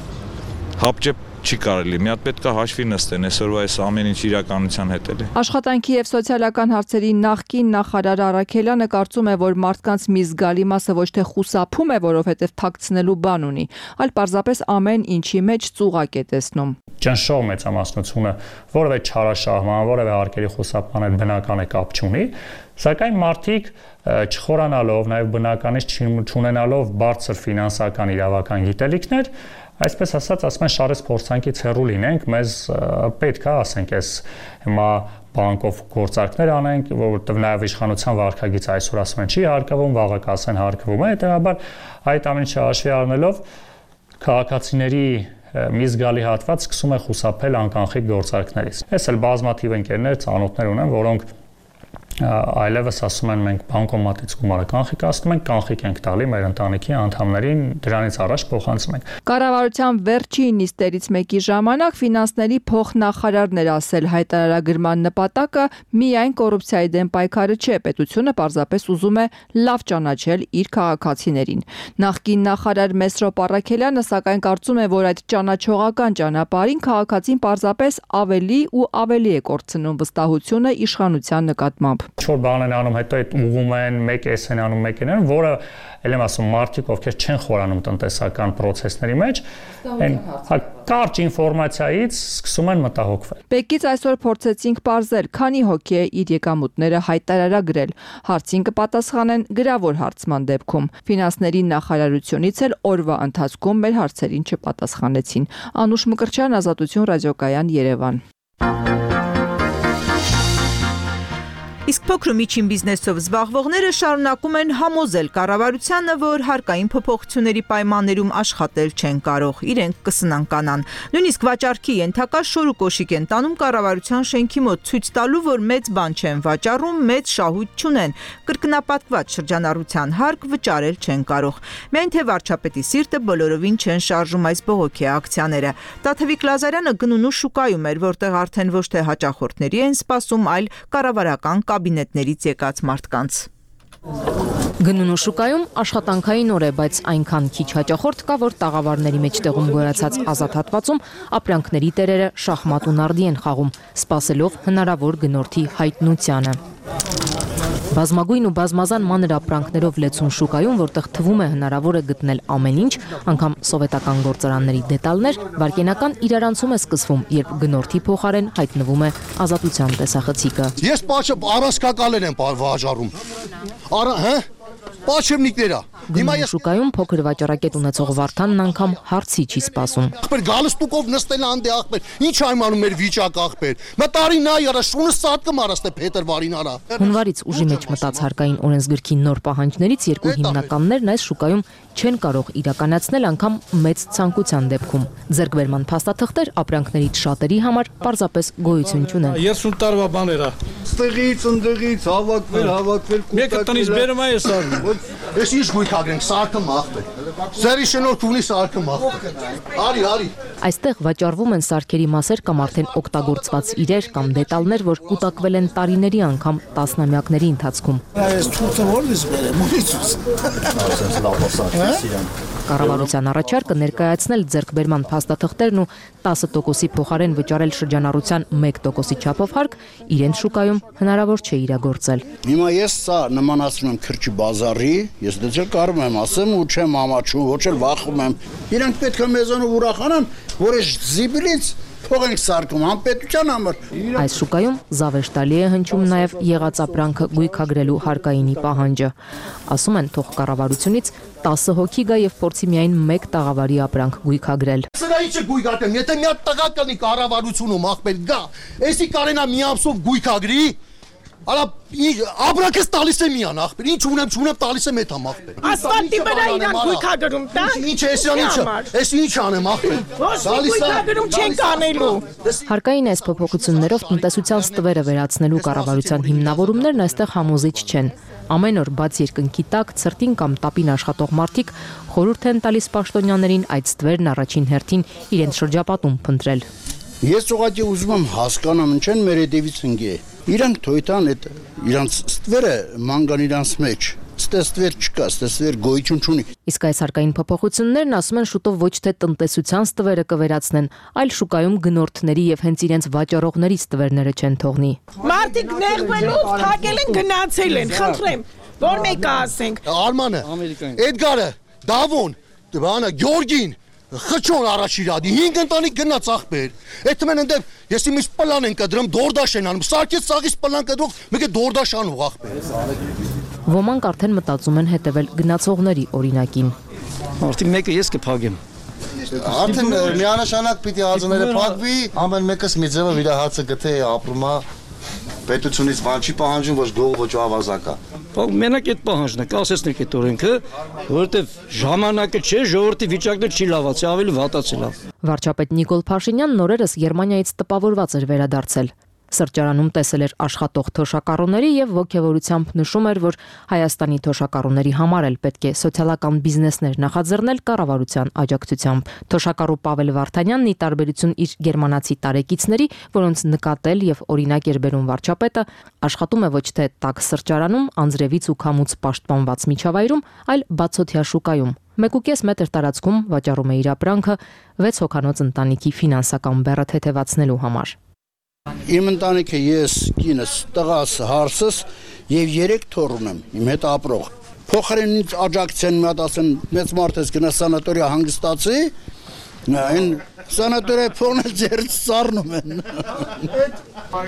Հապճեպ չի կարելի, մի հատ պետք է հաշվի նստեն, այսօրվա այս ամեն ինչ իրականության հետ էլի։ Աշխատանքի եւ սոցիալական հարցերի նախկին նախարար Արաքելյանը կարծում է, որ մարդկանց մի զգալի մասը ոչ թե խուսափում է, որովհետեւ թաքցնելու բան ունի, այլ պարզապես ամեն ինչի մեջ ծուղակ է տեսնում։ Ճնշող մեծամասնությունը որևէ չարաշահման, որևէ արկերի խուսափման հետ բնական է կապ չունի, սակայն մարդիկ չխորանալով, նաեւ բնականից չունենալով բարձր ֆինանսական իրավական գիտելիքներ, այսպես ասած, ասում են շարես փորձանքից հեռու լինենք, մեզ պետք է ասենք, այս հիմա բանկով գործարքներ անենք, որովհետև նաև իշխանության վարքագիծը այսօր ասում են չի հարկվում, վաղը կասեն հարկվում է, հետեւաբար այդ ամեն ինչը հաշվի առնելով քաղաքացիների մի զգալի հատված սկսում է խուսափել անկանխիկ գործարքներից։ Ես էլ բազմաթիվ ընկերներ, ծանոթներ ունեմ, որոնք այլևս ասում են մենք բանկոմատից գումարը կանխիկացնում ենք, կանխիկ ենք տալի մեր ընտանիքի անդամներին, դրանից առաջ փոխանցում ենք։ Կառավարության վերջին նիստերից մեկի ժամանակ ֆինանսների փոխնախարարն էր ասել հայտարարագրման նպատակը միայն կոռուպցիայի դեմ պայքարը չէ, պետությունը պարզապես ուզում է լավ ճանաչել իր քաղաքացիներին։ Նախկին նախարար Մեսրոպ Առաքելյանը սակայն կարծում է, որ այդ ճանաչողական ճանապարհին քաղաքացին պարզապես ավելի ու ավելի է կորցնում վստահությունը իշխանության նկատմամբ։ Չոր բան են անում, հետո այդ ուղում են, մեկ էս են անում, մեկ են, որը ել եմ ասում մարդիկ, ովքեր չեն խորանում տնտեսական process-ների մեջ, այն կարճ ինֆորմացիայից սկսում են մտահոգվել։ Բեկից այսօր փորձեցինք պարզել, քանի հոգի է իր եկամուտները հայտարարագրել։ Հարցին կպատասխանեն գրավոր հարցման դեպքում։ Ֆինանսների նախարարությունից էլ օրվա ընթացքում մեր հարցերին չպատասխանեցին։ Անուշ Մկրտչյան, Ազատություն ռադիոկայան, Երևան։ Իսկ փոքր ու միջին բիզնեսով զբաղվողները շարունակում են համոզել կառավարությանը, որ հարկային փոփոխությունների պայմաններում աշխատել չեն կարող, իրենք կսնանկանան։ Նույնիսկ վաճառքի ենթակա շոր ու կոշիկ են տանում կառավարության շենքի մոտ, ցույց տալու, որ մեծ բան չեն վաճառում, մեծ շահույթ չունեն, կրկնապատկված շրջանառության հարկ վճարել չեն կարող։ Միայն թե վարչապետի սիրտը բոլորովին չեն շարժում այս բողոքի ակցիաները։ Տաթևիկ Լազարյանը գնունու շուկայում էր, որտեղ արդեն ոչ թե հաճախորդների են սպասում, այլ կառավարական կաբինետներից եկած մարդկանց։ Գնունու շուկայում աշխատանքային օր է, բայց այնքան քիչ հաճախորդ կա, որ տաղավարների մեջտեղում գոյացած ազատ հատվածում ապրանքների տերերը շախմատ ու նարդի են խաղում, սպասելով հնարավոր գնորդի հայտնությանը։ Բազմագույն ու բազմազան մանր ապրանքներով լեցուն շուկայում, որտեղ թվում է հնարավոր է գտնել ամեն ինչ, անգամ սովետական գործարանների դետալներ, վարկենական իրարանցում է սկսվում, երբ գնորդի փոխարեն հայտնվում է ազատության տեսախցիկը։ Ես պաչը առասկակալներ եմ վաճառում։ Պաչեմնիկները։ Հիմա ես շուկայում փոքր վաճառակետ ունեցող Վարդանն անգամ հարցի չի սպասում։ Ախպեր գալստուկով նստել անդե ախպեր։ Ինչ այմանում մեր վիճակ ախպեր։ Մտարի նա արա շունը սատկը մարաստե փետրվարին արա։ Հունվարից ուժի մեջ մտած հարկային օրենսգրքի նոր պահանջներից երկու հիմնականներն այս շուկայում չեն կարող իրականացնել անգամ մեծ ցանկության դեպքում։ Ձեռքբերման փաստաթղթեր ապրանքներից շատերի համար պարզապես գոյություն չունեն։ 30 տարվա բաներ է։ Ստեղից, ընդեղից հավաքվել։ Մեկը տնից բերում է ես արվում։ Ես ինչ գույքագրենք, սարքը մախվել։ Ձերի շնորհքունի սարքը մախվել։ Արի։ Այստեղ վաճառվում են սարքերի մասեր կամ արդեն օգտագործված իրեր կամ դետալներ, որ կուտակվել են տարիների անգամ տասնամյակների ընթացքում։ Այս ցույցը ո՞րից բերեմ, Կառավարության առաջարկը ներկայացնել ձեռքբերման փաստաթղթերն ու 10%-ի փոխարեն վճարել շրջանառության 1%-ի չափով հարկ իրենց շուկայում հնարավոր չէ իրագործել։ Հիմա ես սա նմանացնում եմ քրճի բազարի, ես դե կարող եմ ասեմ ու չեմ ամաչում, ոչ էլ վախում եմ։ Իրանք պետք է մեզանով ուրախանան, որ այս զիբիլից Փող ենք սարքում անպետության համար։ Այս շուկայում զավեշտալի է հնչում նաև եղած ապրանքը գույքագրելու հարկայինի պահանջը։ Ասում են, թող կառավարությունից 10 հոգի գա եւ փորձի միայն 1 տաղավարի ապրանք գույքագրել։ Սրա ինչը գույքագրեմ, եթե մի հատ տղա կանի կառավարությունում ախպեր գա, էսի կարենա մի ամսով գույքագրի, Արա ապրանքս տալիս է միան ախպեր, ինչ ունեմ տալիս եմ էթամ ախպեր։ Ասֆալտի վրա իրան գույքագրում տա։ Ինչ է, էս ինչ անեմ ախպեր։ Գույքագրում չենք անելու։ Հարկային այս փոփոխություններով տնտեսության ստվերը վերացնելու կառավարության հիմնավորումներն այստեղ համոզիչ չեն։ Ամեն օր բաց երկնքի տակ ցրտին կամ տապին աշխատող մարդիկ խորհուրդ են տալիս պաշտոնյաներին այդ ստվերն առաջին հերթին իրենց շրջապատում փնտրել։ Ես ուղղակի ուզում եմ հասկանամ ինչ են մեր հետևից ընկե։ Իրանք թույտան այդ իրանց ստվերը մանգան իրանց մեջ։ Ստվեր չկա, ստվեր գոյություն չունի։ Իսկ այս հարկային փոփոխություններն ասում են շուտով ոչ թե տնտեսության ստվերը կվերացնեն, այլ շուկայում գնորդների եւ հենց իրենց վաճառողների ստվերները չեն թողնի։ Մարդիկ նեղվելով թակել են գնացել են, խնդրեմ, որ մեկը ասենք։ Արմանը, Էդգարը, Դավոն, բանը Գյորգին Խչոն առաջ իրադի 5 ընտանիք գնաց ախպեր։ Այդ մեն ընդեմ ես իմից պլան են կդրում դորդաշ են անում։ Սարքից սաղից պլան կդրող մեկը դորդաշ անող ախպեր։ Ոմանք արդեն մտածում են հետևել գնացողների օրինակին։ Արդեն մեկը ես կփակեմ։ Արդեն միանշանակ պիտի ածները փակվի, ամեն մեկս մի ձևով իր հացը գթե ապրում է պետությունից բան չի պահանջում, ոչ գող, ոչ ավազակա։ Մենակ այդ պահանջն է, կասեցնեք այդ օրենքը, որովհետև ժամանակը չէ, ժողովրդի վիճակն չի լավացել, ավելի վատացել է։ Վարչապետ Նիկոլ Փաշինյանն օրերս Գերմանիայից տպավորված էր վերադարձել։ Սրճարանում տեսել էր աշխատող թոշակառուների եւ ողջավորությամբ նշում էր, որ Հայաստանի թոշակառուների համար էլ պետք է սոցիալական բիզնեսներ նախաձեռնել կառավարության աջակցությամբ։ Թոշակառու Պավել Վարդանյանն ի տարբերություն իր գերմանացի տարեկիցների, որոնց նկատել եւ օրինակ էր բերում վարչապետը, աշխատում է ոչ թե տաք սրճարանում, անձրևից ու քամուց պաշտպանված միջավայրում, այլ բացօթյա շուկայում։ 1.5 մետր տարածքում վաճառում է իր ապրանքը 6 հոգանոց ընտանիքի ֆինանսական բեռը թեթևացնելու համար։ Իմ ընտանիքը ես, կինս, տղաս, հարսս եւ 3 թոռ ունեմ, իմ հետ ապրող։ Փոխարենից աջակցեն մի հատ ասեն մեծ մարդ ես գնա սանատորիա հանգստացի, այն սանատորիա փողն ձերից սառնում են։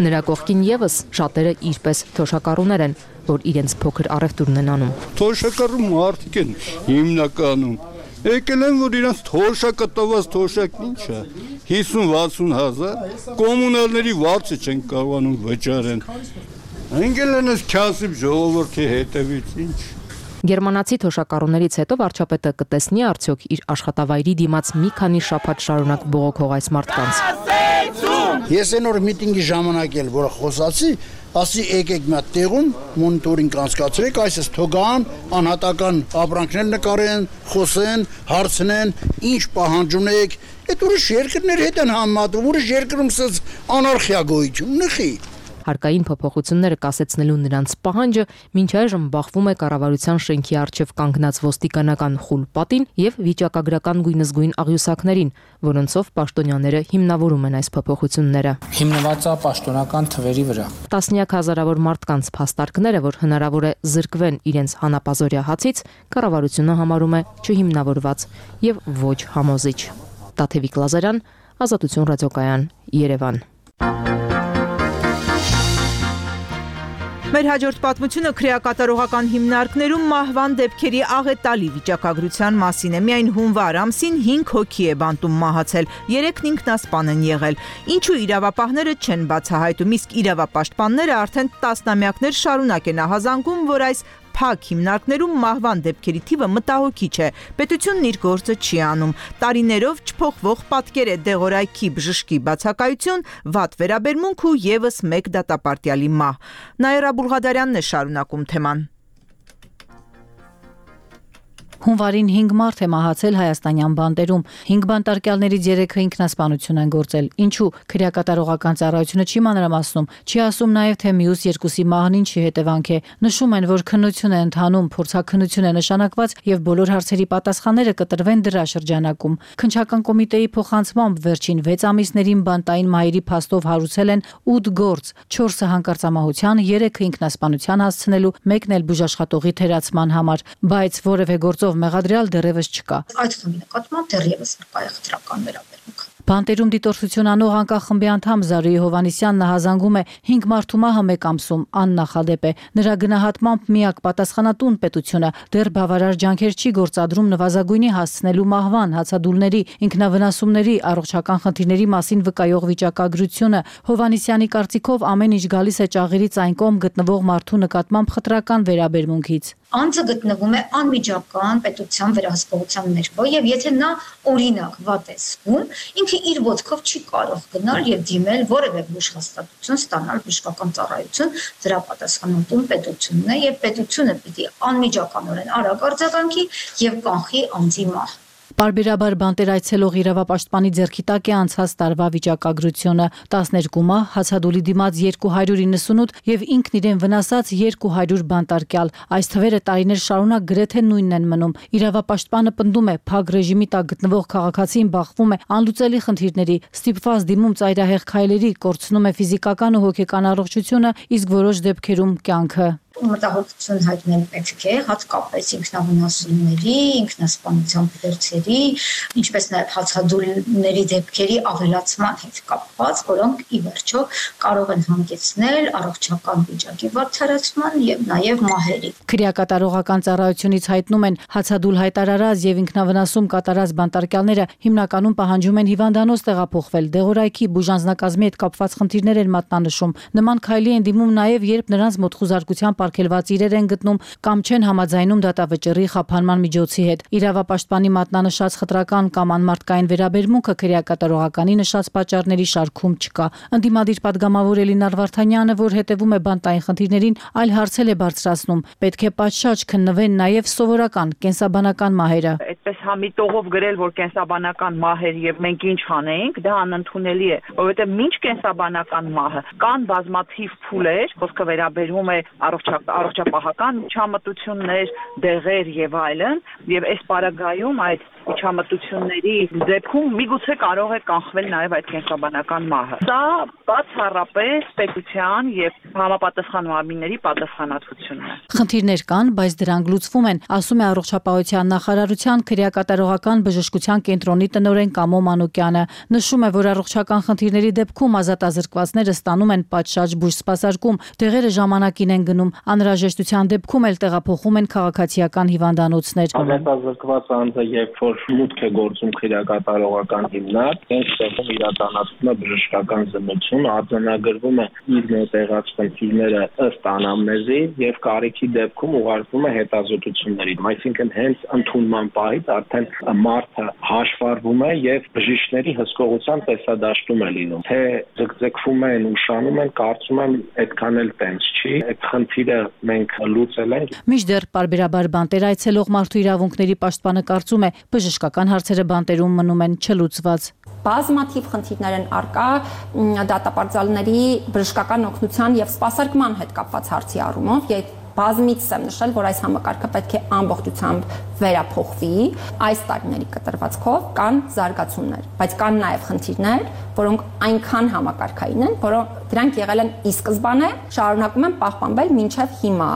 Նրա կողքին եւս շատերը իրպես թոշակառուներ են, որ իրենց փոքր առևտուրն են անում։ Թոշակառու մարդիկ են հիմնականում։ Եկել են, որ իրանց թոշակը տված թոշակն ինչ է, 50-60 հազար, կոմունալների վարձը չեն կարողանում վճարեն, ընկել են ես քյասիբ ժողովրդի հետևից, ինչ։ Գերմանացի թոշակառուներից հետո վարչապետը կտեսնի արդյոք իր աշխատավայրի դիմաց մի քանի շաբաթ շարունակ բողոքող այս մարդկանց։ Ես այն օր միտինգի ժամանակ էլ, որ խոսացի, ասի եկեք մի հատ տեղում մոնիտորինգ անցկացրեք, այսպես թողան, անհատական ապրանքներ նկարեն, խոսեն, հարցնեն, ինչ պահանջ ունեք, այդ ուրիշ երկրներ հետ են համեմատվում, ուրիշ երկրում սենց անարխիա գոյություն ունի։ Հարկային փոփոխությունները կասեցնելու նրանց պահանջը մինչ այժմ բախվում է կառավարության շենքի առջև կանգնած ոստիկանական խուլ պատին եւ վիճակագրական գույնզգույն աղյուսակներին, որոնցով պաշտոնյաները հիմնավորում են այս փոփոխությունները։ Հիմնված է պաշտոնական թվերի վրա։ Տասնյակ հազարավոր մարդկանց փաստարկները, որ հնարավոր է զրկվեն իրենց հանապազորյա հացից, կառավարությունը համարում է չհիմնավորված եւ ոչ համոզիչ։ Տաթևիկ Լազարյան, Ազատություն ռադիոկայան, Երևան։ Մեր հաջորդ պատմությունը քրեակատարողական հիմնարկներում մահվան դեպքերի աղետալի վիճակագրության մասին է։ Միայն հունվար ամսին 5 հոգի է բանտում մահացել, 3-ն ինքնասպան են եղել։ Ինչու իրավապահները չեն բացահայտում, իսկ իրավապաշտպանները արդեն տասնամյակներ շարունակ են ահազանգում, որ այս փակ հիմնարկներում մահվան դեպքերի թիվը մտահոգիչ է։ Պետությունն իր գործը չի անում։ Տարիներով չփոխվող պատկեր է դեղորայքի բժշկի բացակայություն, վատ վերաբերմունք ու եւս մեկ դատապարտյալի մահ։ Նաիրա Բուլղադարյանն է շարունակում թեման։ Հունվարին 5 մարդ է մահացել հայաստանյան բանտերում։ 5 բանտարկյալներից 3-ը ինքնասպանություն են գործել։ Ինչու քրեակատարողական ծառայությունը չի մանրամասնում, չի ասում նաև թե մյուս 2-ի մահն ինչի հետևանք է։ Նշում են, որ քննություն է ընթանում, փորձաքննություն է նշանակված եւ բոլոր հարցերի պատասխանները կտրվեն դրա շրջանակում։ Քննչական կոմիտեի փոխանցմամբ վերջին 6 ամիսներին բանտային մահերի փաստով հարուցել են 8 գործ, 4-ը հանկարծամահության, 3-ը ինքնասպանության հասցնելու, 1-ն էլ բուժաշխատողի թերացման համար, բայց որևէ գործով մեղադրյալ դեռևս չկա։ Այդ խմբի նկատմամբ դեռևս կա խտրական վերաբերմունք։ Բանտերում դիտորդություն անող անկախ խմբի անդամ Զարուհի Հովանեսյանն հազանգում է 5 մարդու մահը մեկ ամսում աննախադեպ է։ Նրա գնահատմամբ միակ պատասխանատուն պետությունը դեռ բավարար ջանքեր չի գործադրում նվազագույնի հասցնելու մահվան, հացադուլների, ինքնավնասումների, առողջական խնդիրների մասին վկայող վիճակագրությունը։ Հովանեսյանի կարծիքով ամեն ինչ գալիս է ճաղերից այն կողմ գտնվող մարդու նկատմամբ խտրական վերաբերմունքից։ Անձը գտնվում է անմիջական պետության վերահսկողության ներքո եւ եթե նա օրինակ վատ է զգում, ինքը իր ոտքով չի կարող գնալ եւ դիմել որևէ բուժհաստատություն, ստանալ բժշկական ծառայություն, դրա պատասխանատուն պետությունն է եւ պետությունը պիտի անմիջականորեն արագ արձագանքի եւ կանխի անձի մահ։ Պարբերաբար բանտեր այցելող իրավապաշտպանի ձեռքի տակ է անցած տարվա վիճակագրությունը 12 մահ, հացադուլի դիմաց 298 եւ ինքն իրեն վնասած 200 բանտարկյալ։ Այս թվերը տարիներ շարունակ գրեթե նույնն են մնում։ Իրավապաշտպանը պնդում է, փակ ռեժիմի տակ գտնվող քաղաքացին բախվում է անլուծելի խնդիրների, ստիպված դիմում ծայրահեղ քայլերի, կորցնում է ֆիզիկական ու հոգեկան առողջությունը, իսկ որոշ դեպքերում կյանքը։ Մտահոգություն հայտնել պետք է հատկապես ինքնավնասումների, ինքնասպանության փորձերի, ինչպես նաև հացադուլների դեպքերի ավելացման հետ կապված, որոնք ի վերջո կարող են հանգեցնել առողջական վիճակի վատթարացման եւ նաև մահերի։ Քրեակատարողական ծառայությունից հայտնում են հացադուլ հայտարարած եւ ինքնավնասում կատարած բանտարկյալները հիմնականում պահանջում են հիվանդանոց տեղափոխվել, դեղորայքի բուժանձնակազմի հետ կապված խնդիրներ են մատնանշում։ Նման քայլի են դիմում նաև երբ նրանց մոտ խուզարկությամբ արգելված իրեր են գտնում կամ չեն համաձայնում դատավճռի խափանման միջոցի հետ։ Իրավապաշտպանի մատնանշած խտրական կամ անմարդկային վերաբերմունքը քրեակատարողականի նշած պատճառների շարքում չկա։ Ընդդիմադիր падգամավոր Էլինար Վարդանյանը, որ հետևում է բանտային խնդիրներին, այլ հարցել է բարձրացնում։ Պետք է պատշաճ քննվեն նաև սովորական կենսաբանական մահերը։ Այդպես համիտողով գրել, որ կենսաբանական մահեր եւ մենք ինչ անենք, դա անընդունելի է, որովհետեւ մինչ կենսաբանական մահը կան բազմաթիվ փուլեր, խոսքը վերաբերում է առողջապահական միջամտություններ, դեղեր եւ այլն, եւ այս պարագայում այդ միջամտությունների դեպքում միգուցե կարող է կանխվել նաև այդ կենսաբանական մահը։ Դա բացառապես պետության եւ համապատասխան մարմինների պատասխանատվությունն է։ Խնդիրներ կան, բայց դրանք լուծվում են, ասում է Առողջապահության նախարարության քրեակատարողական բժշկության կենտրոնի տնօրեն Կամո Մանուկյանը։ Նշում է, որ առողջական խնդիրների դեպքում ազատազրկվածները ստանում են պատշաճ բուժսպասարկում, դեղերը ժամանակին են գնում, անհրաժեշտության դեպքում էլ տեղափոխում են քաղաքացիական հիվանդանոցներ։ Ազատազրկված անձը երբ որ մուտք է գործում քրեակատարողական հիմնարկ, այս տեղում իրականացվում է բժշկական զմություն, արձանագրվում է իր մոտ եղած խնդիրները ըստ անամնեզի եւ կարիքի դեպքում ուղարկվում է հետազոտությունների։ Այսինքն հենց ընդունման պահից արդեն մարդը հաշվառվում է եւ բժիշկների հսկողության տեսադաշտում է լինում։ Թե ձգձգվում են, ուշանում են, կարծում եմ այդքան էլ տենց չի։ Այդ խնդիրը մենք լուծել ենք։ Մինչդեռ պարբերաբար բանտեր այցելող մարդու իրավունքների պաշտպանը կարծում է, բժշկական հարցերը բանտերում մնում են չլուծված։ Բազմաթիվ խնդիրներ են առկա դատապարտյալների բժշկական օգնության եւ սպասարկման հետ կապված հարցի առումով։ Բազմիցս եմ նշել, որ այս համակարգը պետք է ամբողջությամբ վերափոխվի։ Այս տարիների կտրվածքով կան զարգացումներ, բայց կան նաև խնդիրներ, որոնք այնքան համակարգային են, որ դրանք եղել են ի սկզբանե, շարունակում են պահպանվել մինչև հիմա։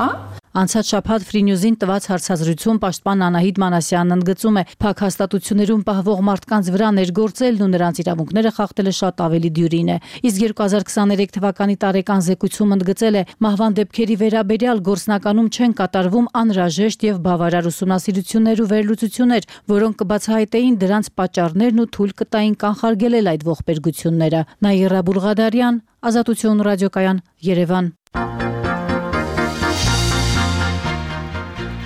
Անցած շաբաթ Free News-ին տված հարցազրույցում պաշտպան Անահիտ Մանասյանն ընդգծում է, փակ հաստատություններում պահվող մարդկանց վրա ներգործելն ու նրանց իրավունքները խախտելը շատ ավելի դյուրին է։ Իսկ 2023 թվականի տարեկան զեկույցում ընդգծել է, մահվան դեպքերի վերաբերյալ գործնականում չեն կատարվում անհրաժեշտ եւ բավարար ուսումնասիրություններ ու վերլուծություններ, որոնք կբացահայտեին դրանց պատճառներն ու թույլ կտային կանխարգելել այդ ողբերգությունները։ Նաիրա Բուլղադարյան, Ազատություն ռադիոկայան, Երևան։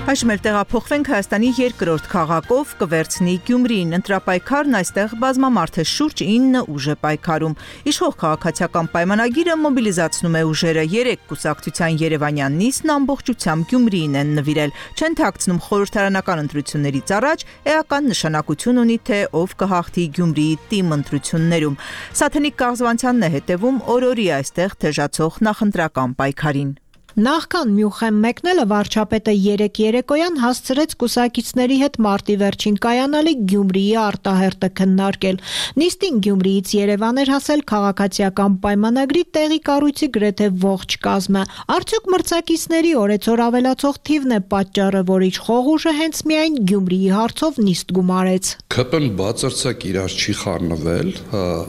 Այժմ էլ տեղափոխվենք Հայաստանի երկրորդ քաղաքով կվերցնի Գյումրին։ Ընտրապայքարն այստեղ բազմամարդ է, շուրջ 9 ուժ է պայքարում։ Իշխող քաղաքացիական պայմանագիրը մոբիլիզացնում է ուժերը։ 3 կուսակցության երևանյան նիստն ամբողջությամբ Գյումրիին են նվիրել։ Չեն թաքցնում խորհրդարանական ընտրություններից առաջ էական նշանակություն ունի, թե ով կհաղթի Գյումրիի թիմ ընտրություններում։ Սաթենիկ Կաղզվանցյանն է հետևում օրորի այստեղ թեժացող նախընտրական պայքարին։ Նախքան Մյունխեն մեկնելը վարչապետը երեկոյան հասցրեց կուսակիցների հետ մարտի վերջին կայանալիք Գյումրիի արտահերտը քննարկել։ Նիստին Գյումրիից Երևան էր հասել քաղաքացիական պայմանագրի տեղի կառույցի գրեթե ողջ կազմը։ Արդյոք մրցակիցների օրեցօր ավելացող թիվն է պատճառը, որ իշխողուժը հենց միայն Գյումրիի հարցով նիստ գումարեց։ ԿՊ-ն բացարձակ իրար չի խառնվել,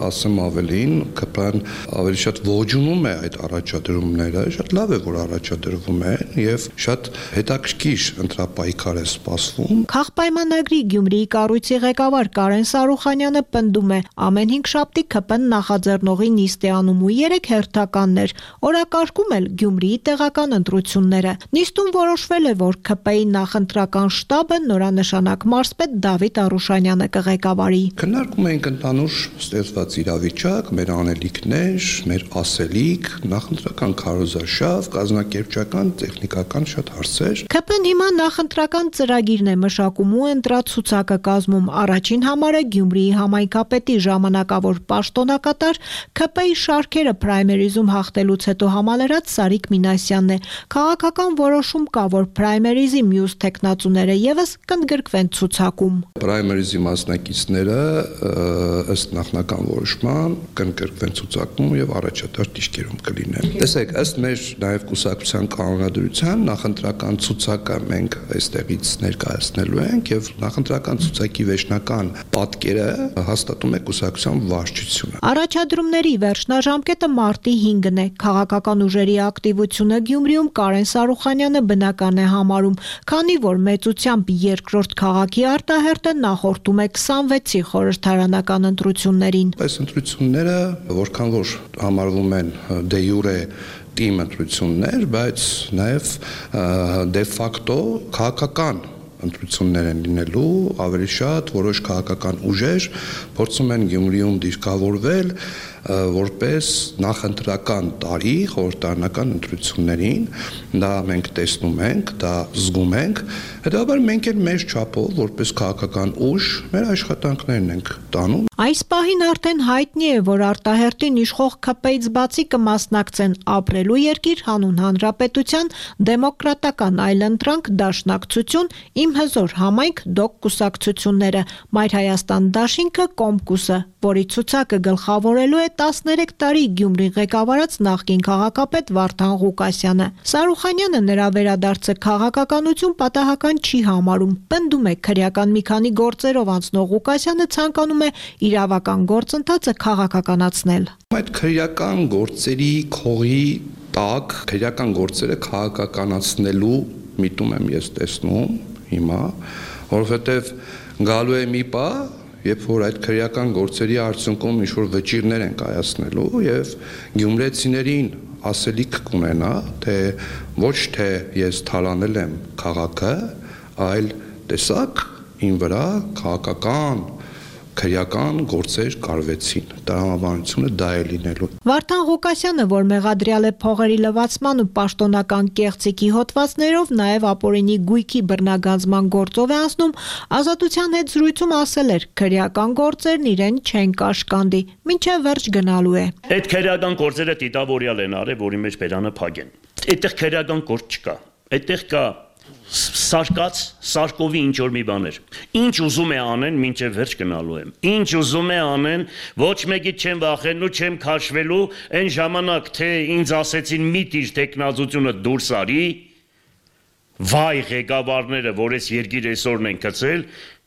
ասեմ ավելին, ԿՊ-ն ավելի շատ ողջունում է այդ առաջադրումները, շատ լավ է, որ առաջադրվում են եւ շատ հետաքրքիր ընտրապայքար է սպասվում։ Քաղաքապայմանագրի Գյումրիի կառույցի ղեկավար Կարեն Սարուխանյանը պնդում է, ամեն 5 շաբթի ԿՊ-ն նախաձեռնողի նիստ է անում ու 3 հերթականներ, օրակարգում էլ Գյումրիի տեղական ընտրությունները։ Նիստում որոշվել է, որ ԿՊ-ի նախընտրական շտաբը նորանշանակ մարզպետ Դավիթ Արուշանյանը կղեկավարի։ Քննարկում ենք ընդհանուր ստեղծված իրավիճակ, մեր անելիքներ, մեր ասելիք, նախընտրական քարոզարշավ, կազմակերպչական, տեխնիկական շատ հարցեր։ ԿՊ-ն հիմա նախընտրական ծրագիրն է մշակում ու ընտրացուցակը կազմում։ Առաջին համարը Գյումրիի համայնքապետի ժամանակավոր պաշտոնակատար ԿՊ-ի շարքերը պրայմերիզում հաղթելուց հետո համալրած Սարիկ Մինասյանն է։ Քաղաքական որոշում կա, որ պրայմերիզի մյուս տեխնացուները եւս կընդգրկվեն ցուցակում։ Պրայմերիզի մասնակիցները ըստ նախնական որոշման կընդգրկվեն ցուցակում եւ առաջատար դիրքերում կլինեն։ Տեսեք, ըստ մեր նաեւ կուսակցության կանոնադրության նախընտրական ցուցակը մենք այստեղից ներկայացնելու ենք եւ նախընտրական ցուցակի վերջնական պատկերը հաստատում է կուսակցության վարչությունը։ Առաջադրումների վերջնաժամկետը մարտի 5-ն է։ Քաղաքական ուժերի ակտիվությունը Գյումրիում Կարեն Սարուխանյանը բնական է համարում, քանի որ մեծությամբ երկրորդ քաղաքի արտահերտը նախորդում է 26-ի խորհրդարանական ընտրություններին։ Այս ընտրությունները որքան որ համարվում են դե յուրե թիմ ընտրություններ, բայց նաև դե ֆակտո քաղաքական ընտրություններ են լինելու, ավելի շատ որոշ քաղաքական ուժեր փորձում են Գյումրիում դիրքավորվել որպես նախընտրական տարի խորհրդարանական ընտրություններին, դա մենք տեսնում ենք, դա զգում ենք, հետաբար մենք էլ մեր չափով որպես քաղաքական ուժ մեր աշխատանքներն ենք տանում։ Այս պահին արդեն հայտնի է, որ արտահերտին իշխող ԿՊ-ից բացի կմասնակցեն Ապրելու երկիր, Հանուն Հանրապետության, Դեմոկրատական այլընտրանք, Դաշնակցություն, Իմ հզոր համայնք, ԴՕԿ կուսակցությունները, Մայր Հայաստան դաշինքը, Կոմկուսը, որի ցուցակը գլխավորելու է 13 տարի Գյումրի ղեկավարած նախկին քաղաքապետ Վարդան Ղուկասյանը։ Սարուխանյանը նրա վերադարձը քաղաքականություն պատահական չի համարում։ Պնդում է, քրեական մի քանի գործերով անցնող Ղուկասյանը ցանկանում է իրավական գործընթացը քաղաքականացնել։ Այդ քրեական գործերի քողի տակ քրեական գործերը քաղաքականացնելու միտում եմ ես տեսնում հիմա, որովհետև գալու է մի պահ, երբ որ այդ քրեական գործերի արդյունքում ինչ-որ վճիռներ են կայացնելու եւ գյումրեցիներին ասելիք կունենա, թե ոչ թե ես թալանել եմ քաղաքը, այլ տեսակ ին վրա քաղաքական քրեական գործեր կարվեցին։ Տրամաբանությունը դա է լինելու։ Վարդան Ղուկասյանը, որ մեղադրյալ է փողերի լվացման ու պաշտոնական կեղծիքի հոդվածներով, նաև ապօրինի գույքի բռնագանձման գործով է անցնում, Ազատության հետ զրույցում ասել էր, քրեական գործերն իրեն չեն կաշկանդի, մինչև վերջ գնալու է։ Այդ քրեական գործերը տիտավորյալ են արել, որի մեջ բերանը փագեն։ Այդտեղ քրեական գործ չկա։ Այդտեղ կա սարկած Սարկովի ինչ որ մի բաներ։ Ինչ ուզում է անեն, մինչև վերջ գնալու եմ։ Ինչ ուզում է անեն, ոչ մեկից չեմ վախենու, չեմ քաշվելու, այն ժամանակ թե ինձ ասեցին մի տիր տեխնազությունը դուրս արի, վայ ղեկավարները, որ այս երկիր այսօրն են գցել,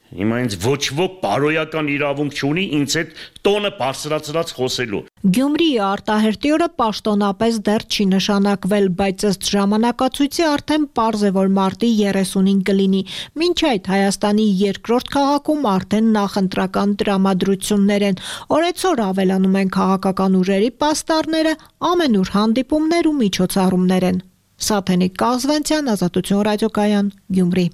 հիմա ինձ ոչ ոք բարոյական իրավունք չունի ինձ այդ տոնը բարձրացրած խոսելու։ Գյումրիի արտահերտի օրը պաշտոնապես դեռ չի նշանակվել, բայց ըստ ժամանակացույցի արդեն պարզ է, որ մարտի 30-ին կլինի։ Մինչ այդ Հայաստանի երկրորդ քաղաքում արդեն նախընտրական տրամադրություններ են։ Օրեցօր ավելանում են քաղաքական ուժերի պաստառները, ամենուր հանդիպումներ ու միջոցառումներ են։ Սաթենիկ Կազվանցյան, Ազատություն ռադիոկայան, Գյումրի։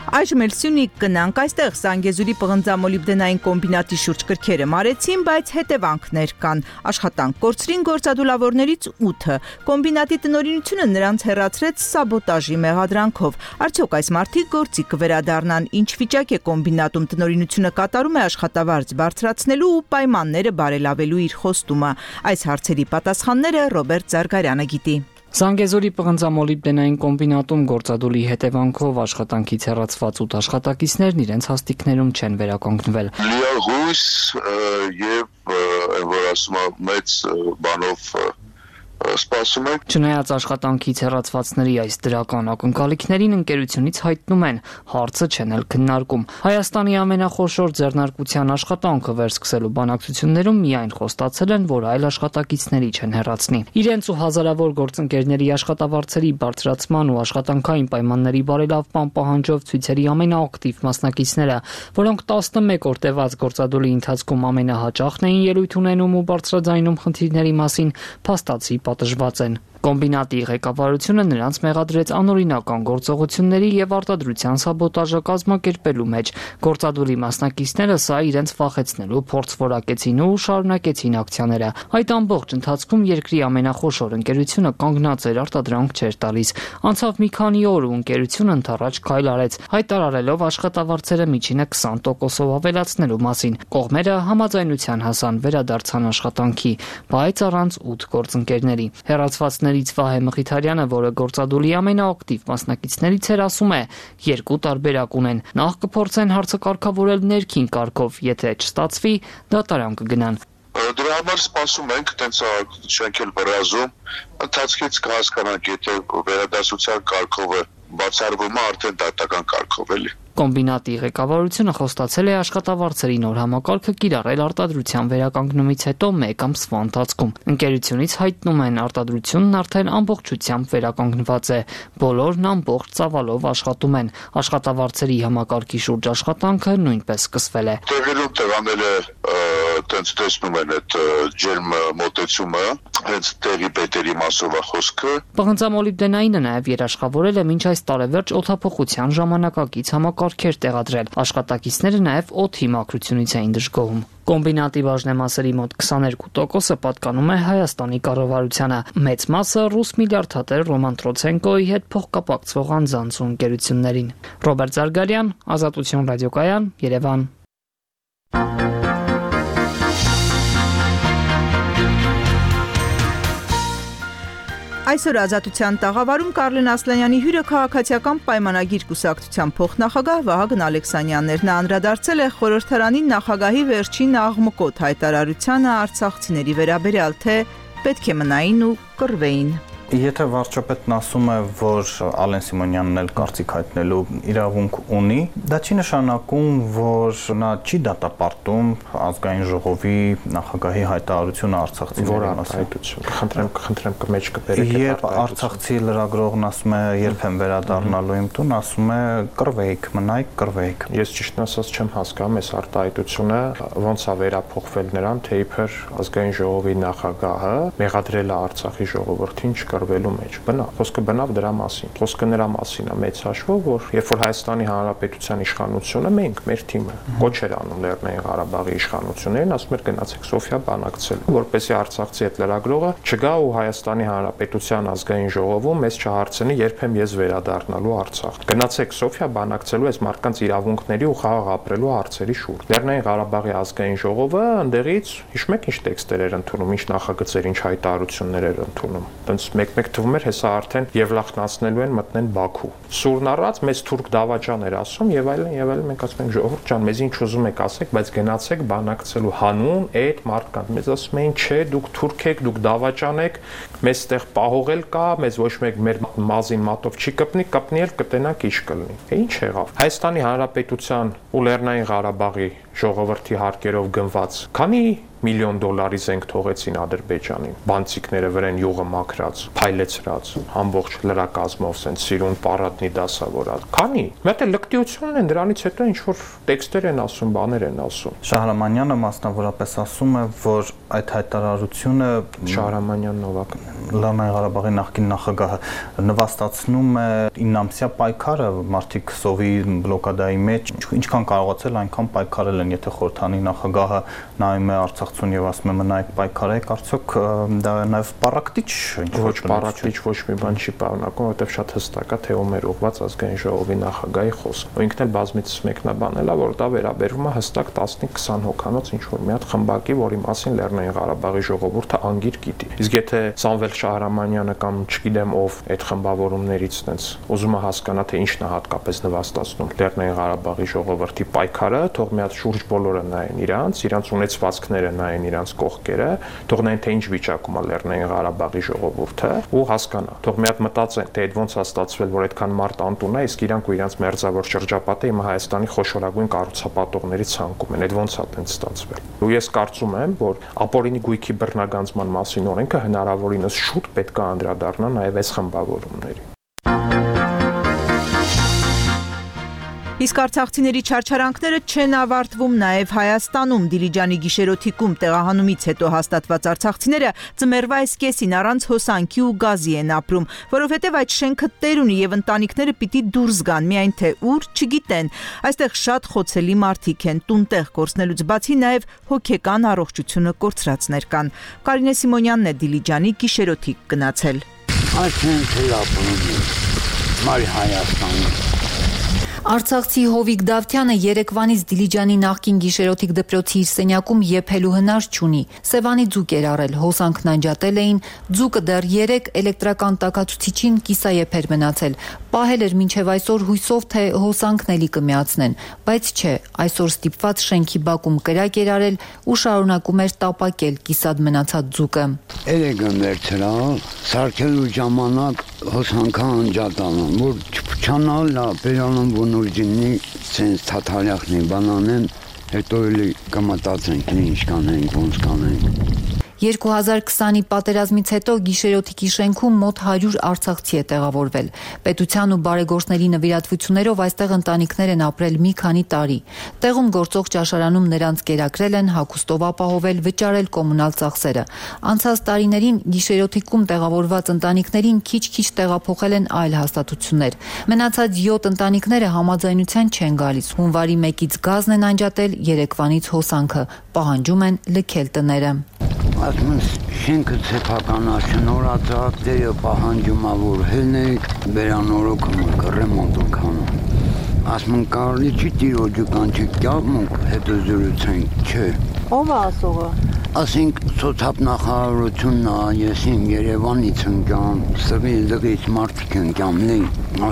Այժմ էլ Սյունիք գնանք, այստեղ Զանգեզուրի պղնձամոլիբդենային կոմբինատի շուրջ կրքերը մարեցին, բայց հետևանքներ կան։ Աշխատանք կորցրին գործադուլավորներից 8-ը։ Կոմբինատի տնօրինությունը նրանց հեռացրեց սաբոտաժի մեղադրանքով։ Արդյոք այս մարդիկ գործի կվերադառնան, ինչ վիճակ է կոմբինատում տնօրինությունը կատարում է աշխատավարձ բարձրացնելու ու պայմանները բարելավելու իր խոստումը։ Այս հարցերի պատասխանները Ռոբերտ Զարգարյանը գիտի։ Զանգեզուրի պղնձամոլիբդենային կոմբինատում գործադուլի հետևանքով աշխատանքից հեռացված 8 աշխատակիցներն իրենց հաստիքներում չեն վերականգնվել։ Լիահույս եւ որ ասում եմ մեծ բանով սպասում եք։ Չնայած աշխատանքից հեռացվածների այս դրական ակնկալիքներին ընկերությունից հայտնում են, հարցը չեն էլ քննարկում։ Հայաստանի ամենախոշոր ձեռնարկության աշխատանքը վերսկսելու բանակցություններում միայն խոստացել են, որ այլ աշխատակիցների չեն հեռացնի։ Իրենց ու հազարավոր գործընկերների աշխատավարձերի բարձրացման ու աշխատանքային պայմանների բարելավման պահանջով ցույցերի ամենաակտիվ մասնակիցները, որոնք 11 օր տևած գործադուլի ընթացքում ամենահաճախն էին ելույթ ունենում ու բարձրաձայնում խնդիրների մասին, փաստացի պատժված են։ Կոմբինատի ղեկավարությունը նրանց մեղադրեց անօրինական գործողությունների եւ արտադրության սաբոտաժը կազմակերպելու մեջ։ Գործադուլի մասնակիցները սա իրենց վախեցնելու փորձ որակեցին ու շարունակեցին ակցիաները։ Այդ ամբողջ ընթացքում երկրի ամենախոշոր ընկերությունը կանգնած էր, արտադրանք չէր տալիս։ Անցավ մի քանի օր ու ընկերությունը ընդառաջ քայլ արեց, հայտարարելով աշխատավարձերը միջինը 20%-ով ավելացնելու մասին։ Կողմերը համաձայնության հասան, վերադարձան աշխատանքի, բայց առանց 8 գործընկերների։ Հեռացված Վահե Մխիթարյանը, որը գործադուլի ամենաակտիվ մասնակիցներից էր, ասում է, երկու տարբերակ ունեն։ Նախ կփորձեն հարցը կարգավորել ներքին կարգով, եթե չստացվի, դատարան կգնան։ Դրա համար սպասում ենք, տենց չենք էլ բռազում, ընթացքից կհասկանանք, եթե վերադասության կարգով է բացառվում է, արդեն դատական կարգով էլի։ Կոմբինատի ղեկավարությունը խոստացել է աշխատավարձերի նոր համակարգը կիրառել արտադրության վերականգնումից հետո 1 ամսվա ընթացքում։ Ընկերությունից հայտնում են, արտադրությունն արդեն ամբողջությամբ վերականգնված է, բոլորն ամբողջ ծավալով աշխատում են։ Աշխատավարձերի համակարգի շուրջ աշխատանքը նույնպես սկսվել է։ Տեղերում տեղանել է տենց տեսնում են այդ ջերմ մոտեցումը, հենց տեղի պետերի մասով է խոսքը։ Պղնձամոլիբդենայինը նաև երաշխավորել է մինչ այս տարեվերջ օդափոխության ժամանակակից համակարգեր տեղադրել։ Աշխատակիցները նաև օդի մաքրությունից էին դժգոհում։ Կոմբինատի բաժնեմասերի մոտ 22%-ը պատկանում է Հայաստանի կառավարությանը, մեծ մասը ռուս միլիարդատեր Ռոման Տրոցենկոյի հետ փոխկապակցվող անձանց ու ընկերություններին։ Ռոբերտ Զարգարյան, Ազատություն ռադիոկայան, Երևան։ Այսօր Ազատության տաղավարում Կարլեն Ասլանյանի հյուրը քաղաքացիական պայմանագիր կուսակցության փոխնախագահ Վահագն Ալեքսանյանն էր։ Նա անդրադարձել է խորհրդարանի նախագահի վերջին աղմկոտ հայտարարությանը արցախցիների վերաբերյալ, թե պետք է մնային ու կռվեին։ Եթե վարչապետն ասում է, որ Ալեն Սիմոնյանն էլ կարծիք հայտնելու իրավունք ունի, դա չի նշանակում, որ նա չի դատապարտում ազգային ժողովի նախագահի հայտարարությունը արցախցիների մասին։ Խնդրեմ կմեջ կբերեք։ Երբ արցախցի լրագրողն ասում է, երբ եմ վերադառնալու իմ տուն, ասում է կռվեիք, մնայիք, կռվեիք։ Ես ճիշտն ասած չեմ հասկանում այս արտահայտությունը ոնց է վերափոխվել նրան, թե իբր ազգային ժողովի նախագահը մեղադրել է Արցախի ժողովրդին կռվելու մեջ։ Խոսքը բնավ դրա մասին։ Խոսքը նրա մասին է մեծ հաշվով, որ երբ որ Հայաստանի Հանրապետության իշխանությունը մենք, մեր թիմը կոչ էր անում Լեռնային Ղարաբաղի իշխանություններին, ասում էր գնացեք Սոֆիա բանակցել, որպեսզի արցախցի այդ լրագրողը չգա ու Հայաստանի Հանրապետության ազգային ժողովում մեզ չհարցնի, երբ եմ ես վերադառնալու Արցախ։ Գնացեք Սոֆիա բանակցելու այս մարդկանց իրավունքների ու խաղաղ ապրելու հարցերի շուրջ։ Լեռնային Ղարաբաղի ազգային ժողովը ընդեղից հիշում եք ինչ տեքստեր էր ընդունում, ինչ նախագծեր, ինչ հայտարարություններ էր ընդունում։ Տենց մեկ թվում էր, հեսա արդեն Եվլախնացնելու են մտնեն Բաքու։ Սուրն առած մեծ թուրք դավաճան էր ասում եւ այլն, մենք ասում ենք ժողովուրդ ջան, մեզ ինչ ուզում եք ասեք, բայց գնացեք բանակցելու հանուն այդ մարդկանց։ Մեզ ասում էին, չէ, դուք թուրք եք, դուք դավաճան եք, մեզ ստեղ պահողել կա, մեզ ոչ մեկ մեր մազին մատով չի կպնի էլ կտենանք ինչ կլինի։ Ինչ եղավ։ Հայաստանի Հանրապետության ու Լեռնային Ղարաբաղի ժողովրդի հարկերով գնված քանի $1 միլիոն զենք թողեցին Ադրբեջանին, բանցիկները վրան յուղը մաքրած, փայլեցրած, ամբողջ լրակազմով սենց սիրուն պարատնի դասավորած։ Քանի։ Մի հատ լկտիությունն են, դրանից հետո ինչ որ տեքստեր են ասում, բաներ են ասում։ Շահրամանյանը մասնավորապես ասում է, որ այդ հայտարարությունը Շահրամանյան Նովակ Լեռնային Ղարաբաղի նախկին նախագահը նվաստացնում է 9-ամսյա պայքարը մարդիկ սովի բլոկադայի մեջ ինչքան կարողացել այնքան պայքարել են եթե խորհրդանի նախագահը նայում է Արցախցուն եւ ասում է մնայեք պայքարեք արդյոք դա նաեւ պարակտիչ ոչ պարակտիչ ոչ մի բան չի պարունակում որովհետեւ շատ հստակ է թե ում էր ուղված ազգային ժողովի նախագահի խոսքը ինքն էլ բազմիցս մեկնաբանել է որ դա վերաբերվում է հստակ 15-20 հոգանոց ինչ որ մի հատ խմբակի որի մասին Լեռնային Ղարաբաղի ժողովուրդը անգիր գիտի իսկ եթե Սամվել Շահրամանյանը կամ չգիտեմ ով այդ խմբավորումներից տենց ուզում է հասկանա թե ինչն է հատկապես նվաստացնում Լեռնային Ղարաբաղի ժողովրդի պայքարը թող մի հատ շուրջ բոլորը նայեն իրանց ունեցվածքները նայեն իրանց կողքերը թող նայեն թե ինչ վիճակում է Լեռնային Ղարաբաղի ժողովուրդը ու հասկանա թող մի հատ մտածեն թե այդ ոնց է ստացվել որ այդքան մարդ անտուն է իսկ իրանք ու իրանց մերձավոր շրջապատը հիմա Հայաստանի խոշորագույն կառուցապատողների ցանկում են այդ ոնց է տենց ստացվել ու ես կարծում եմ որ ապօրինի գույքի բռնագանձման մասին օրենքը հնարավորինս շուտ պետք է անդրադառնա նաև այս խմբավորումներին Իսկ արցախցիների չարչարանքները չեն ավարտվում նաև Հայաստանում Դիլիջանի գիշերօթիկում տեղահանումից հետո հաստատված արցախցիները ծմերվա այս կեսին առանց հոսանքի ու գազի են ապրում, որովհետև այդ շենքը տեր ունի եւ ընտանիքները պիտի դուրս գան, միայն թե ուր չգիտեն։ Այստեղ շատ խոցելի մարդիկ են, տունտեղ կորցնելուց բացի նաև հոգեկան առողջությունը կորցրածներ կան։ Կարինե Սիմոնյանն է Դիլիջանի գիշերօթիկ գնացել։ Այս շենքը ապրում է Հայաստանում Արցախցի Հովիկ Դավթյանը Երևանից Դիլիջանի նախկին գիշերօթիկ դպրոցի իր սենյակում եփելու հնար չունի։ Սևանի ձուկ էր առել, հոսանքն անջատել էին, ձուկը դեռ 3 էլեկտրական տաքացուցիչին կիսաեփեր մնացել։ Պահել էր մինչև այսօր հույսով թե հոսանքն էլի կմիացնեն, բայց չէ, այսօր ստիպված շենքի բակում կրակ էր արել ու շարունակում էր տապակել կիսատ մնացած ձուկը։ Երեգն վերցրալ, սարքելու ժամանակ հոսանքը անջատան, որ չփչանալ լա, բերանում Նուրջինի ցենց թաթարյախնի բանանեն հետո էլի կմտածենք ինչ կանենք ոնց կանենք 2020-ի պատերազմից հետո գիշերօթիկի շենքում մոտ 100 արցախցի է տեղավորվել։ Պետության ու բարեգործների նվիրատվություններով այստեղ ընտանիքներ են ապրել մի քանի տարի։ Տեղում գործող ճաշարանում նրանց կերակրել են, հագուստով ապահովել, վճարել կոմունալ ծախսերը։ Անցած տարիներին գիշերօթիկում տեղավորված ընտանիքներին քիչ-քիչ տեղափոխել են այլ հաստատություններ։ Մնացած 7 ընտանիքները համաձայնության չեն գալիս։ Հունվարի 1-ից գազն են անջատել, Երևանից հոսանքը, պահանջում են լքել տները։ Ասում շենքը սեփականաշնորհացած դերը պահանջում է որ հելնեք վերանորոգում ռեմոնտում կանում ասում կարելի չի տիրոջը կանչի կյավմունք հետո զրուցենք չէ ով է ասողը ասենք սոցիալ-նախարարությունն է ես իմ Երևանից ընկամ սղի լղից մարդիկ ընկամ լի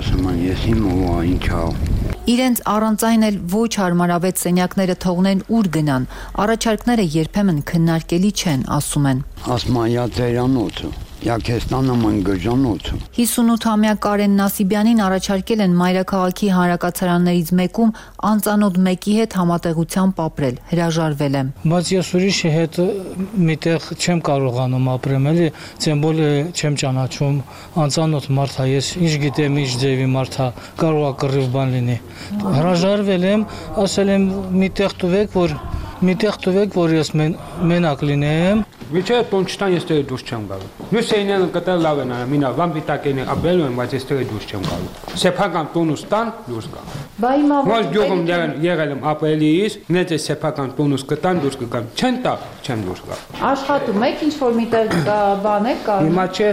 ասում են ես իմ ով ինչա Իրենց առանց այն էլ ոչ հարմարավետ սենյակները թողնեն ուր գնան, առաջարկները երբեմն քննարկելի չեն, ասում են։ Ասմայա ծերանոցը, Յակեստանը մանգժանոցը։ 58-ամյա Կարեն Նասիբյանին առաջարկել են Մայրաքաղաքի հանրակացարաններից մեկում անծանոթ մեկի հետ համատեղությամբ ապրել, հրաժարվել եմ։ Բայց ես ուրիշի հետ միտեղ չեմ կարողանում ապրեմ, էլի, ցեմբոլը չեմ ճանաչում, անծանոթ մարդ է, ես ինչ գիտեմ, ինչ ձևի մարդ է, կարող է կռիվ բան լինի։ Հրաժարվել եմ, ասել եմ միտեղ տվեք, որ ես մենակ լինեմ։ Միջի տուն չտան ես դե դուրս չեմ գալու։ Նույն սենյակը կտել լավ են արել, մինա վամպիտակեն ապրել եմ, բայց ես դե դուրս չեմ գալու։ Սեփական տունուս տան դուրս գա։ Բա հիմա Ոչ գյուղում եղել եմ ապրելիս, նեծ է սեփական տունուս կտան դուրս կգամ։ Չեն տա, չեմ դուրս գա։ Աշխատում եք ինչ որ միտեղ բան եք կա։ Հիմա չէ,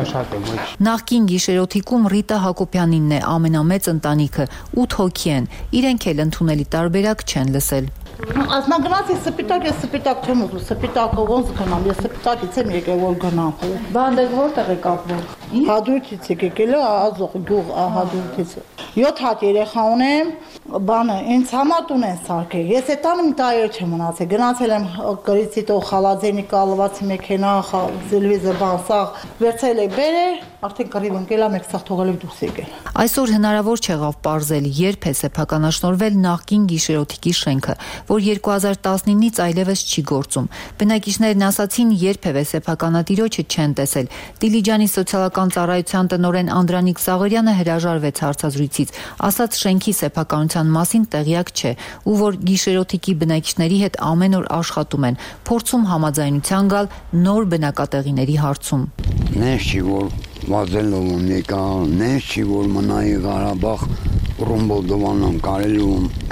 աշխատում ոչ։ Նախկին գիշերօթիկում Ռիտա Հակոբյանինն է ամենամեծ ընտանիքը, 8 հոգի են։ Իրենք էլ ընդունելի տարբերակ չեն լսել։ Ազնագնաց ես սպիտակ չեմ ուզում, սպիտակը ոնց գնամ, ես սպիտակից եմ եկել որ գնամ։ Բանդեք որտեղ եք ապրում։ Հադրութից եք եկել, ազող գյուղ Հադրութից։ 7 հատ երեխա ունեմ, բանը ինձ համար տուն են սարքել։ Ես այդտան մի տարի չեմ մնացել, գնացել եմ գրիցի տող խալաձենի կալվածի մեքենա, զելվիզը բան սաղ, վերցել եք բերել, արդեն կռիվ ընկել եմ, եք սաղ թողել եք դուրս եկել։ Այսօր հնարավոր չեղավ պարզել, երբ է սեփականաշնորհվել նախկին գիշերօթիկի շենքը, որ 2019-ից այլևս չի գործում։ Բնակիչներն ասացին, երբևէ սեփականատիրոջը չեն տեսել։ Դիլիջանի սոցիալական ծառայության տնօրեն Անդրանիկ Սաղարյանը հրաժարվեց հարցազրույցից, ասաց շենքի սեփականության իրականության մասին տեղյակ չէ ու որ գիշերօթիկի բնակիչների հետ ամեն օր աշխատում են, փորձում համաձայնության գալ նոր բնակատեղիների հարցում։ Նես չի որ վազելով եկա, նես չի որ մնայի Ղարաբաղ ռումբոդովանան կարելի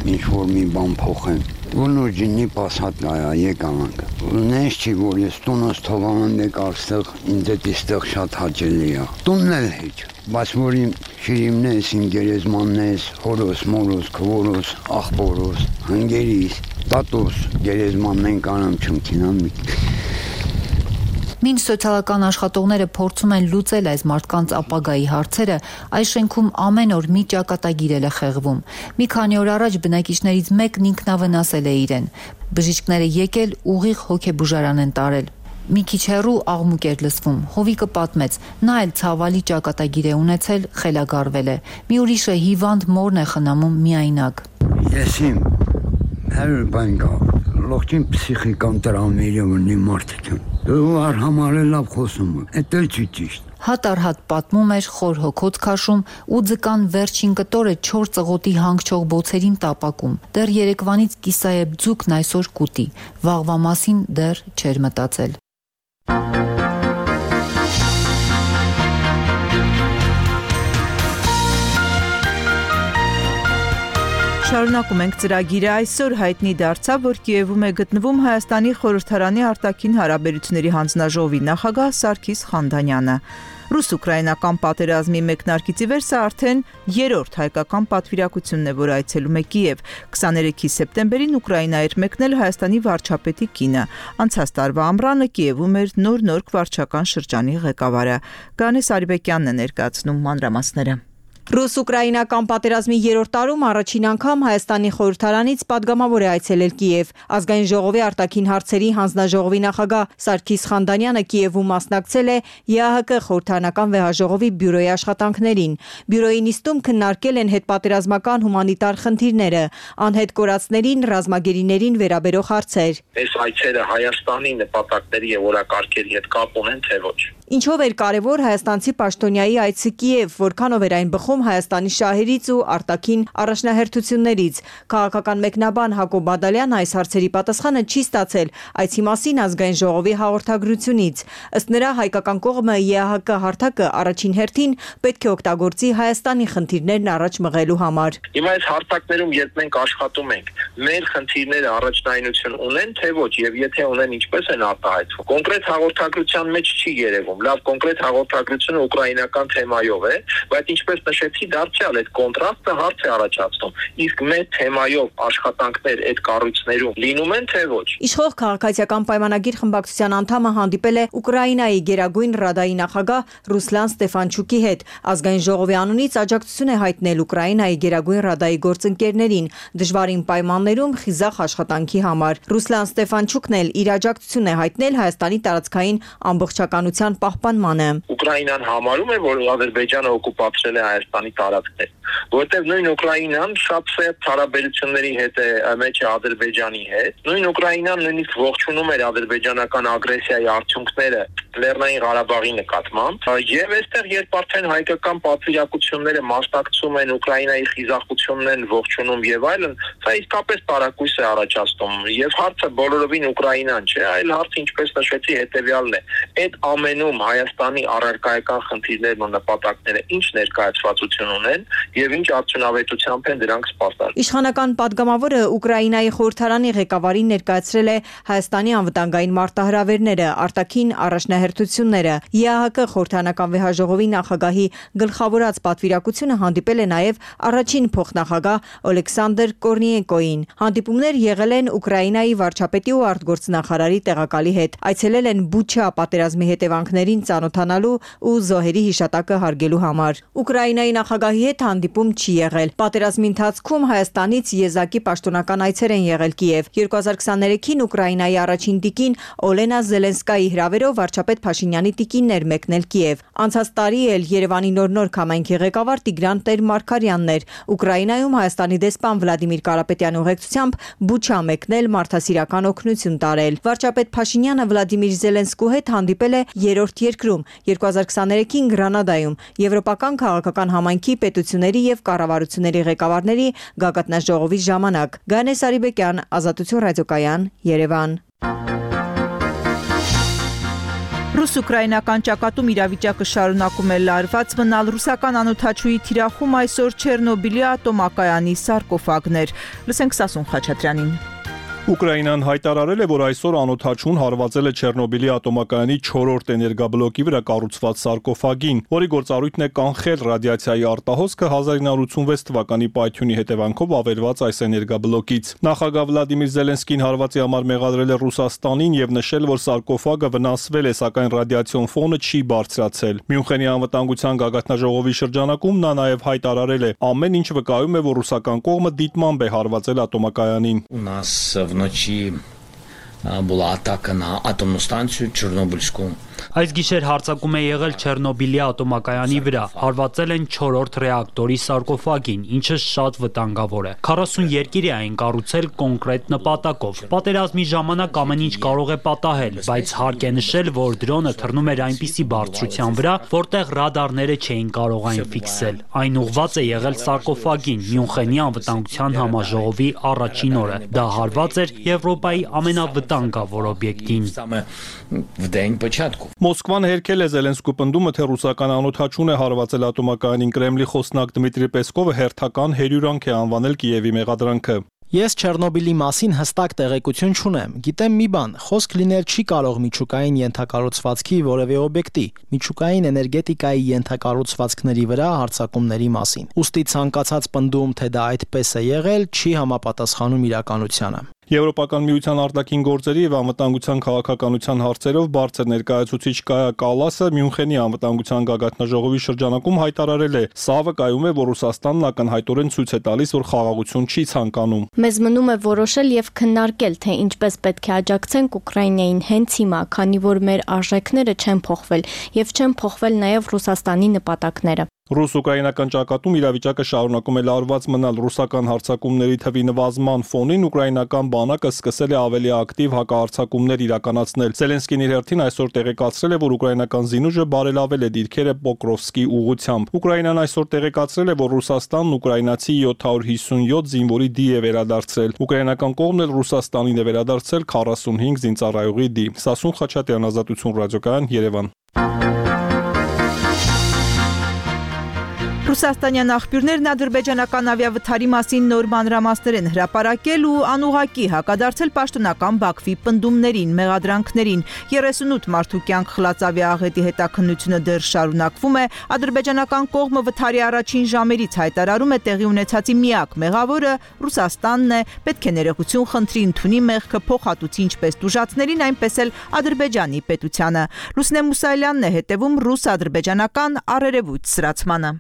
ինչ որ մի բան փոխեն։ Ոնոջինի պասատայա եկանանք։ Նես չի որ ես տունս թողանան եք արստեղ ինձ էստեղ շատ հաճելի է։ Տունն էլ հեչ, բայց որ իմ շիրիմնես, իմ գերեզմաննես, հորոս, մորոս, քորոս, աղբորոս, հնգերիս, տատոս, գերեզմաննեն կանամ չմքինան մի։ Մինչ սոցիալական աշխատողները փորձում են լուծել այս մարդկանց ապագայի հարցերը, այս շենքում ամեն օր մի ճակատագիր է խեղվում։ Մի քանի օր առաջ բնակիչներից մեկն ինքնավնասել է իրեն։ Բժիշկները եկել ուղիղ հոգեբուժարան են տարել։ Մի քիչ հեռու աղմուկ էր լսվում։ Հովիկը պատմեց, նա էլ ցավալի ճակատագիր է ունեցել, խելագարվել է։ Մի ուրիշը հիվանդ մորն է խնամում միայնակ։ Ես իմ հերբանկա լոքին պսիխիկան տրավմերի ունի մարդիկ են։ Դու արհամարը լավ խոսում է, դա չի ճիշտ։ Հատ առ հատ պատմում էր, խոր հոգոց քաշում ու ձկան վերջին կտորը 4 ծղոտի հանգչող բոցերին տապակում։ Դեռ երեկվանից կիսայებ ձուկն այսօր կուտի, վաղվա մասին դեռ չէր մտածել։ Շարունակում ենք ծրագիրը, այսօր հայտնի դարձավ, որ Կիևում է գտնվում Հայաստանի խորհրդարանի արտաքին հարաբերությունների հանձնաժողովի նախագահ Սարգիս Խանդանյանը։ Ռուս-ուկրաինական պատերազմի մեկնարկից ի վեր սա արդեն երրորդ հայկական պատվիրակությունն է, որ այցելում է Կիև։ 23 սեպտեմբերին Ուկրաինա էր մեկնել Հայաստանի վարչապետի կինը։ Անցած տարվա ամռանը Կիևում էր նոր վարչական շրջանի ղեկավարը։ Գանես Արիբեկյանն է ներկայացնում մանրամասները։ Ռուս-ուկրաինական պատերազմի երրորդ տարում առաջին անգամ Հայաստանի խորհրդարանից падգամավոր է այցելել Կիև։ Ազգային ժողովի արտաքին հարցերի հանձնաժողովի նախագահ Սարգիս Խանդանյանը Կիևում մասնակցել է ԵԱՀԿ խորհրդարանական վեհաժողովի բյուրոյի աշխատանքներին։ Բյուրոյի նիստում քննարկել են հետպատերազմական հումանիտար խնդիրները, անհետ կորածներին, ռազմագերիներին վերաբերող հարցեր։ Այս այցերը Հայաստանի նպատակների եւ օրակարգերի հետ կապ ունեն, թե ոչ։ Ինչով էր կարևոր հայաստանցի պաշտոնյայի այցը Կիև, որքանով էր այն բխում Հայաստանի շահերից ու արտաքին առաջնահերթություններից։ Քաղաքական մեկնաբան Հակոբ Բադալյանը այս հարցերի պատասխանը չի ստացել այցի մասին ազգային ժողովի հաղորդագրությունից։ Ըստ նրա հայկական կողմը ԵԱՀԿ հարթակը առաջին հերթին պետք է օգտագործի Հայաստանի խնդիրներն առաջ մղելու համար։ Հիմա այս հարթակներում երբ մենք աշխատում ենք, մեր խնդիրները առաջնայինություն ունեն, թե ոչ, եւ եթե ունեն, ինչպես են արտահայտվում։ Կոնկրետ հաղորդագրության մեջ չի երևում։ Լավ կոնկրետ հաղորդագրությունը ուկրաինական թեմայով է, բայց ինչպես նշեցի, դարձյալ այդ կոնտրաստը հարց է առաջացնում։ Իսկ մեր թեմայով աշխատանքներ այդ կառույցներում լինում են, թե ոչ։ Իշխող քաղաքացիական պայմանագիր խմբակցության անդամը հանդիպել է Ուկրաինայի Գերագույն Ռադայի նախագահ Ռուսլան Ստեֆանչուկի հետ։ Ազգային ժողովի անունից աջակցություն է հայտնել Ուկրաինայի Գերագույն Ռադայի գործընկերներին դժվարին պայմաններում խիզախ աշխատանքի համար։ Ռուսլան Ստեֆանչուկն էլ իր աջակցությունն է հայտնել Հայաստանի տարածքային ամբողջականության պահպանմանը։ Ուկրաինան համարում է, որ Ադրբեջանը օկուպացրել է Հայաստանի տարածքներ, որտեղ նույն Ուկրաինան շատ սերտ հարաբերությունների հետ է մեջ է Ադրբեջանի հետ։ Նույն Ուկրաինան նույնիսկ ողջունում էր ադրբեջանական ագրեսիայի արդյունքները Լեռնային Ղարաբաղի նկատմամբ, եւ այստեղ երբ արդեն հայկական պատվիրակությունները մասնակցում են Ուկրաինայի խիզախությունն են ողջունում եւ այլն, սա իսկապես տարակույս է առաջացնում եւ հարցը բոլորովին Ուկրաինան չէ, այլ հարցը ինչպես նշեցի հետեւյալն է։ Այդ ամենում Հայաստանի առարկայական խնդիրներն ու նպատակները ինչ ներկայացվածություն ունեն եւ ինչ արդյունավետությամբ են դրանք սպասարկում։ Իշխանական падգամավորը Ուկրաինայի խորհրդարանի ղեկավարին ներկայացրել է Հայաստանի անվտանգային մարտահրավերները, արտաքին առաջնահերթությունները։ ԵԱՀԿ խորհրդարանական վեհաժողովի նախագահի գլխավորած պատվիրակությունը հանդիպել է նաեւ առաջին փոխնախագահ Օլեքսանդր Կորնիենկոին։ Հանդիպումներ եղել են Ուկրաինայի վարչապետի ու արտգործնախարարի տեղակալի հետ։ Այցելել են Բուչա պատերազմի հետևանքներին ծանոթանալու ու զոհերի հիշատակը հարգելու համար։ Ուկրաինայի նախագահի հետ հանդիպում չի եղել։ Պատերազմի ընթացքում Հայաստանից եզակի պաշտոնական այցեր են եղել Կիև։ 2023-ին Ուկրաինայի առաջին տիկին Օլենա Զելենսկայի հրավերով վարչապետ Փաշինյանի տիկինն էր մեկնել Կիև։ Անցած տարի էլ Երևանի նոր համայնքի ղեկավար Տիգրան Տեր-Մարգարյանն էր Ուկրաինայում Հայաստանի դեսպան Վլադիմիր Կարապետյանի ուղեկցությամբ Բուչա մեկնել մարդասիրական օգնություն տարել։ Վարչապետ Փաշինյանը Վլադիմիր Զելենսկու հետ հանդիպել է երրորդ երկրում 2023-ին Գրանադայում Եվրոպական քաղաքական համայնքի պետությունների եւ եւ կառավարությունների ղեկավարների գագաթնաժողովի ժամանակ։ Գանե Սարիբեկյան, Ազատություն ռադիոկայան, Երևան։ Ռուս-ուկրաինական ճակատում իրավիճակը շարունակում է լարված մնալ, ռուսական անօդաչուի թիրախում այսօր Չեռնոբիլի ատոմակայանի սարկոֆագներ։ Լսենք Սասուն Խաչատրյանին։ Ուկրաինան հայտարարել է, որ այսօր անօդաչուն հարվածել է Չեռնոբիլի ատոմակայանի 4-րդ էներգաբլոկի վրա կառուցված սարկոֆագին, որի գործառույթն է կանխել ռադիացիայի արտահոսքը 1986 թվականի պայթյունի հետևանքով ավերված այս էներգաբլոկից։ Նախագահ Վլադիմիր Զելենսկին հարվածի համար մեղադրել է Ռուսաստանին եւ նշել, որ սարկոֆագը վնասվել է, սակայն ռադիացիոն ֆոնը չի բարձրացել։ Մյունխենի անվտանգության գագաթնաժողովի շրջանակում նա նաեւ հայտարարել է. ամեն ինչ վկայում է, որ ռուսական կողմը դիտմամբ է հարվածել ատոմակայանին։ Вночі була атака на атомну станцію Чорнобильську. Այս գիշեր հարձակում է եղել Չեռնոբիլի ատոմակայանի վրա, հարվածել են 4-րդ ռեակտորի սարկոֆագին, ինչը շատ վտանգավոր է։ 40 երկիր է այն կառուցել կոնկրետ նպատակով։ Պատերազմի ժամանակ ամեն ինչ կարող է պատահել, բայց հարկ է նշել, որ դրոնը թռնում էր այնպիսի բարձրության վրա, որտեղ ռադարները չէին կարող այն ֆիքսել։ Այն ուղղված է եղել սարկոֆագին, Մյունխենի անվտանգության համաժողովի առաջին օրը։ Դա հարված էր Եվրոպայի ամենավտանգավոր օբյեկտին։ В день початку. Մոսկվան հերքել է Զելենսկու պնդումը, թե ռուսական անօդաչուն է հարվածել ատոմակայանին։ Կրեմլի խոսնակ Դմիտրի Պեսկովը հերթական հերյուրանք է անվանել Կիևի մեղադրանքը։ Ես Չեռնոբիլի մասին հստակ տեղեկություն չունեմ։ Գիտեմ մի բան, խոսք լինել չի կարող միջուկային ենթակառուցվածքի որևէ օբյեկտի, միջուկային էներգետիկայի ենթակառուցվածքների վրա հարձակումների մասին։ Ուստի ցանկացած պնդում, թե դա այդպես է եղել, չի համապատասխանում իրականությանը։ Եվրոպական միության արտաքին գործերի եւ անվտանգության քաղաքականության հարցերով բարձր ներկայացուցիչ Կայա Կալասը Մյունխենի անվտանգության գագաթնաժողովի շրջանակում հայտարարել է. «Սա վկայում է, որ Ռուսաստանն ակնհայտորեն ցույց է տալիս, որ խաղաղություն չի ցանկանում»։ Մեզ մնում է որոշել եւ քննարկել, թե ինչպես պետք է աջակցենք Ուկրաինային հենց հիմա, քանի որ մեր արժեքները չեն փոխվել եւ չեն փոխվել նաեւ Ռուսաստանի նպատակները։ Ռուս-ուկրաինական ճակատում իրավիճակը շարունակում է լարված մնալ ռուսական հարձակումների թվի նվազման ֆոնին ուկրաինական բանակը սկսել է ավելի ակտիվ հակահարձակումներ իրականացնել։ Զելենսկին իր հերթին այսօր տեղեկացրել է, որ ուկրաինական զինուժը բարելավել է դիրքերը Պոկրովսկի ուղղությամբ։ Ուկրաինան այսօր տեղեկացրել է, որ Ռուսաստանն ուկրաինացի 757 զինվորի դի է վերադարձրել։ Ուկրաինական կողմն էլ Ռուսաստանին է վերադարձրել 45 զինծառայողի դի։ Սասուն Խաչատրյան, Ազատություն ռադիոկայան, Երևան։ Ռուսաստանյան աղբյուրներն ադրբեջանական ավիավթարի մասին նոր մանրամասներ են հրապարակել ու անուղղակի հակադարձել պաշտոնական Բաքվի պնդումներին, մեղադրանքներին։ 38 մարդու կյանք խլած ավիաաղետի հետաքննությունը դեռ շարունակվում է։ Ադրբեջանական կողմը վթարի առաջին ժամերից հայտարարում է տեղի ունեցածի միակ մեղավորը Ռուսաստանն է, պետք է ներողություն խնդրի, ընդունի մեղքը, փոխհատուցի ինչպես տուժածներին, այնպես էլ Ադրբեջանի պետությանը։ Լուսնե Մուսայելյանն է հետևում ռուս-ադրբեջանական առերևույթ սրացմանը։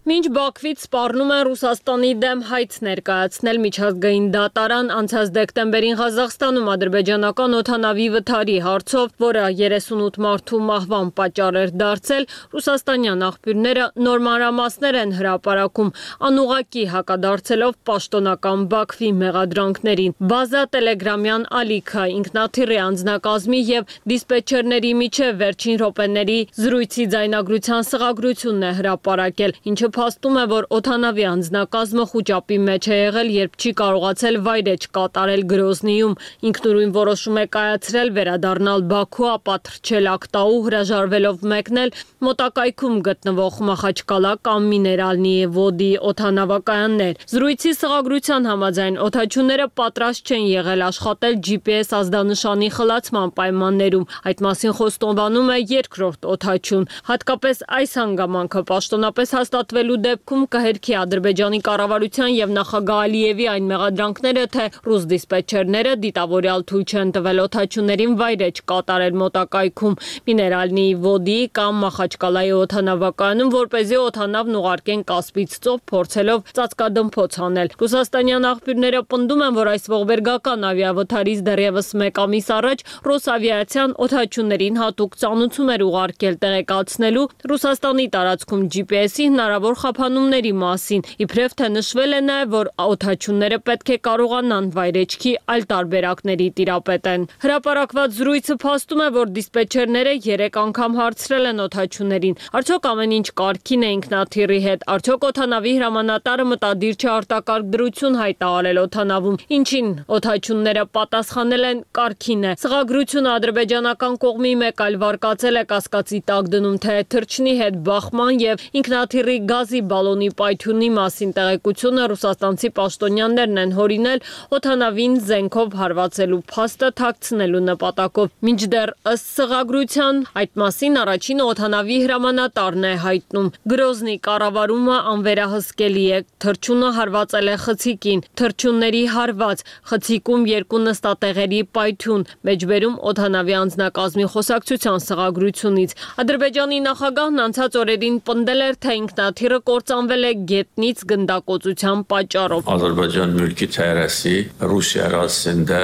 Մինչ Բաքվից սպառնում են Ռուսաստանի դեմ հայց ներկայացնել միջազգային դատարան, անցած դեկտեմբերին Ղազախստանում ադրբեջանական օդանավի վթարի հարցով, որը 38 մարդու մահվան պատճառ էր դարձել, ռուսաստանյան աղբյուրները նոր մանրամասներ են հրապարակում, անուղղակի հակադարձելով պաշտոնական Բաքվի մեղադրանքներին։ Բազա տելեգրամյան ալիքը ինքնաթիռի անձնակազմի եւ դիսպետչերների միջև վերջին րոպեների զրույցի ձայնագրության սղագրությունն է հրապարակել, ինչը փաստում է, որ օդանավի անձնակազմը խուճապի մեջ է եղել, երբ չի կարողացել վայրեջ կատարել Գրոզնիում։ Ինքնուրույն որոշում է կայացրել վերադառնալ Բաքու, ապա թռչել Ակտաու, հրաժարվելով մեկնել մոտակայքում գտնվող Մախաչկալա կամ Միներալնի Վոդի օդանավակայաններ։ Զրույցի սղագրության համաձայն օդաչուները պատրաստ չեն եղել աշխատել GPS ազդանշանի խլացման պայմաններում։ Այդ մասին խոստովանում է երկրորդ օդաչուն։ Հատկապես այս հանգամանքը պաշտոնապես հաստատվելու դեպքում կհերքի Ադրբեջանի կառավարության եւ նախագահ Ալիևի այն մեղադրանքները, թե ռուս դիսպետչերները դիտավորյալ թույլ չեն տվել օդաչուներին վայրեջ կատարել մոտակայքում Միներալնի Վոդի կամ Մախաչկալայի օդանավակայանում, որպեսզի օդանավն ուղարկեն Կասպից ծով, փորձելով ծածկադմփոց անել։ Ռուսաստանյան աղբյուրները պնդում են, որ այս ողբերգական ավիավթարից դեռևս 1 ամիս առաջ Ռոսավիացիան օդաչուներին հատուկ ծանուցում էր ուղարկել տեղեկացնելու Ռուսաստանի տարածքում GPS-ի հնարավոր հնարավոր խափանումների մասին, իբրև թե նշվել է նաև, որ օդաչունները պետք է կարողանան վայրեջքի այլ տարբերակների տիրապետեն։ Հրապարակված զրույցը փաստում է, որ դիսպետչերները 3 անգամ հարցրել են օդաչուներին, արդյոք ամեն ինչ կարգին է ինքնաթիռի հետ, արդյոք օդանավի հրամանատարը մտադիր չէ արտակարգ դրություն հայտարարել օդանավում, ինչին օդաչունները պատասխանել են կարգին է։ Սղագրությունը ադրբեջանական կողմի մեկ այլ վարկածել է կասկածի տակ դնում, թե թռչնի հետ բախման եւ ինքնաթիռի գազի բալոնի պայթյունի մասին տեղեկությունը ռուսաստանցի պաշտոնյաներն են հորինել օդանավին զենքով հարվածելու փաստը թաքցնելու նպատակով։ Մինչդեռ ըստ սղագրության այդ մասին առաջին օդանավի հրամանատարն է հայտնում։ Գրոզնի կառավարումը անվերահսկելի է, թռչունը հարվածել է խցիկին, թռչունների հարված, խցիկում 2 նստատեղերի պայթյուն, մեջբերում օդանավի անձնակազմի խոսակցության սղագրությունից։ Ադրբեջանի նախագահն անցած օրերին պնդել էր, թե ինքնաթիռը կործանվել է գետնից գնդակոծության պատճառով։ Ադրբեջան մülki terrorisi Rusiya ərazisində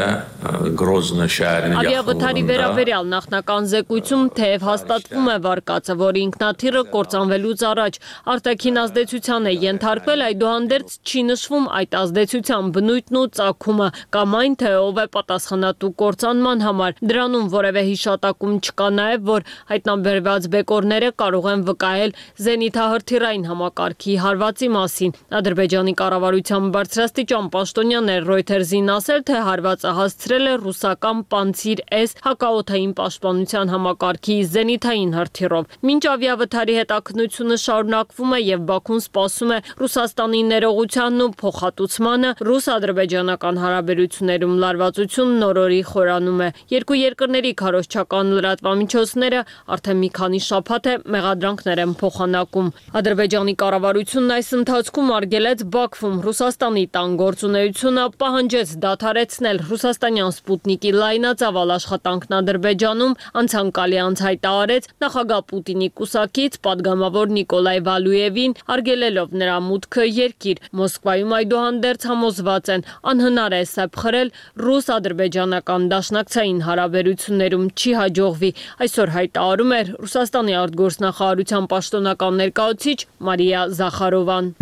Grozny şəhərinin yaxınlığında Ավիավթարի վերաբերյալ նախնական զեկույցում թեև հաստատվում է վարկածը, որ ինքնաթիռը կործանվելուց առաջ արտաքին ազդեցության է ենթարկվել, այդուհանդերձ չի նշվում այդ ազդեցության բնույթն ու ծագումը կամ այն, թե ով է պատասխանատու կործանման համար։ Դրանում որևէ հիշատակում չկա նաև, որ հայտնաբերված բեկորները կարող են վկայել զենիթահրթիռային համակարգի հարվածի մասին։ Ադրբեջանի կառավարության բարձրաստիճան պաշտոնյաներ Reuters-ին ասել, թե հարվածը հասցրել է ռուսական Pantsir-S հակաօդային պաշտպանության համակարգի զենիթային հրթիռով։ Մինչ ավիավթարի հետաքննությունը շարունակվում է եւ Բաքուն սպասում է Ռուսաստանի ներողությանն ու փոխհատուցմանը, ռուս-ադրբեջանական հարաբերություններում լարվածությունն օրորի խորանում է։ Երկու երկրների քարոզչական լրատվամիջոցները արդեն մի քանի շաբաթ է մեղադրանքներ են փոխանակում։ Ադրբեջանի կառավարությունն այս ընթացքում արգելեց Բաքվում Ռուսաստանի տան գործունեությունը, պահանջեց դադարեցնել ռուսաստանյան Սպուտնիկի լայնածավալ աշխատանքն Ադրբեջանում, անցանկալի հայտարարեց նախագահ Պուտինի կուսակից падգամավոր Նիկոլայ Վալուևին, արգելելով նրա մուտքը երկիր։ Մոսկվայում այդուհանդերձ համոզված են, անհնար է սեպ խրել ռուս-ադրբեջանական դաշնակցային հարաբերություններում չի հաջողվի։ Այսօր հայտարարում էր Ռուսաստանի արտգործնախարարության պաշտոնական ներկայացուցիչ Մարիա Զախարովան։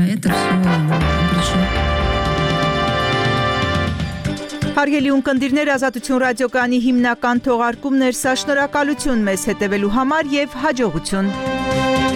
Հարգելի ունկնդիրներ, Ազատություն ռադիոկայանի հիմնական թողարկումն էր սա, շնորհակալություն մեզ հետևելու համար եւ հաջողություն։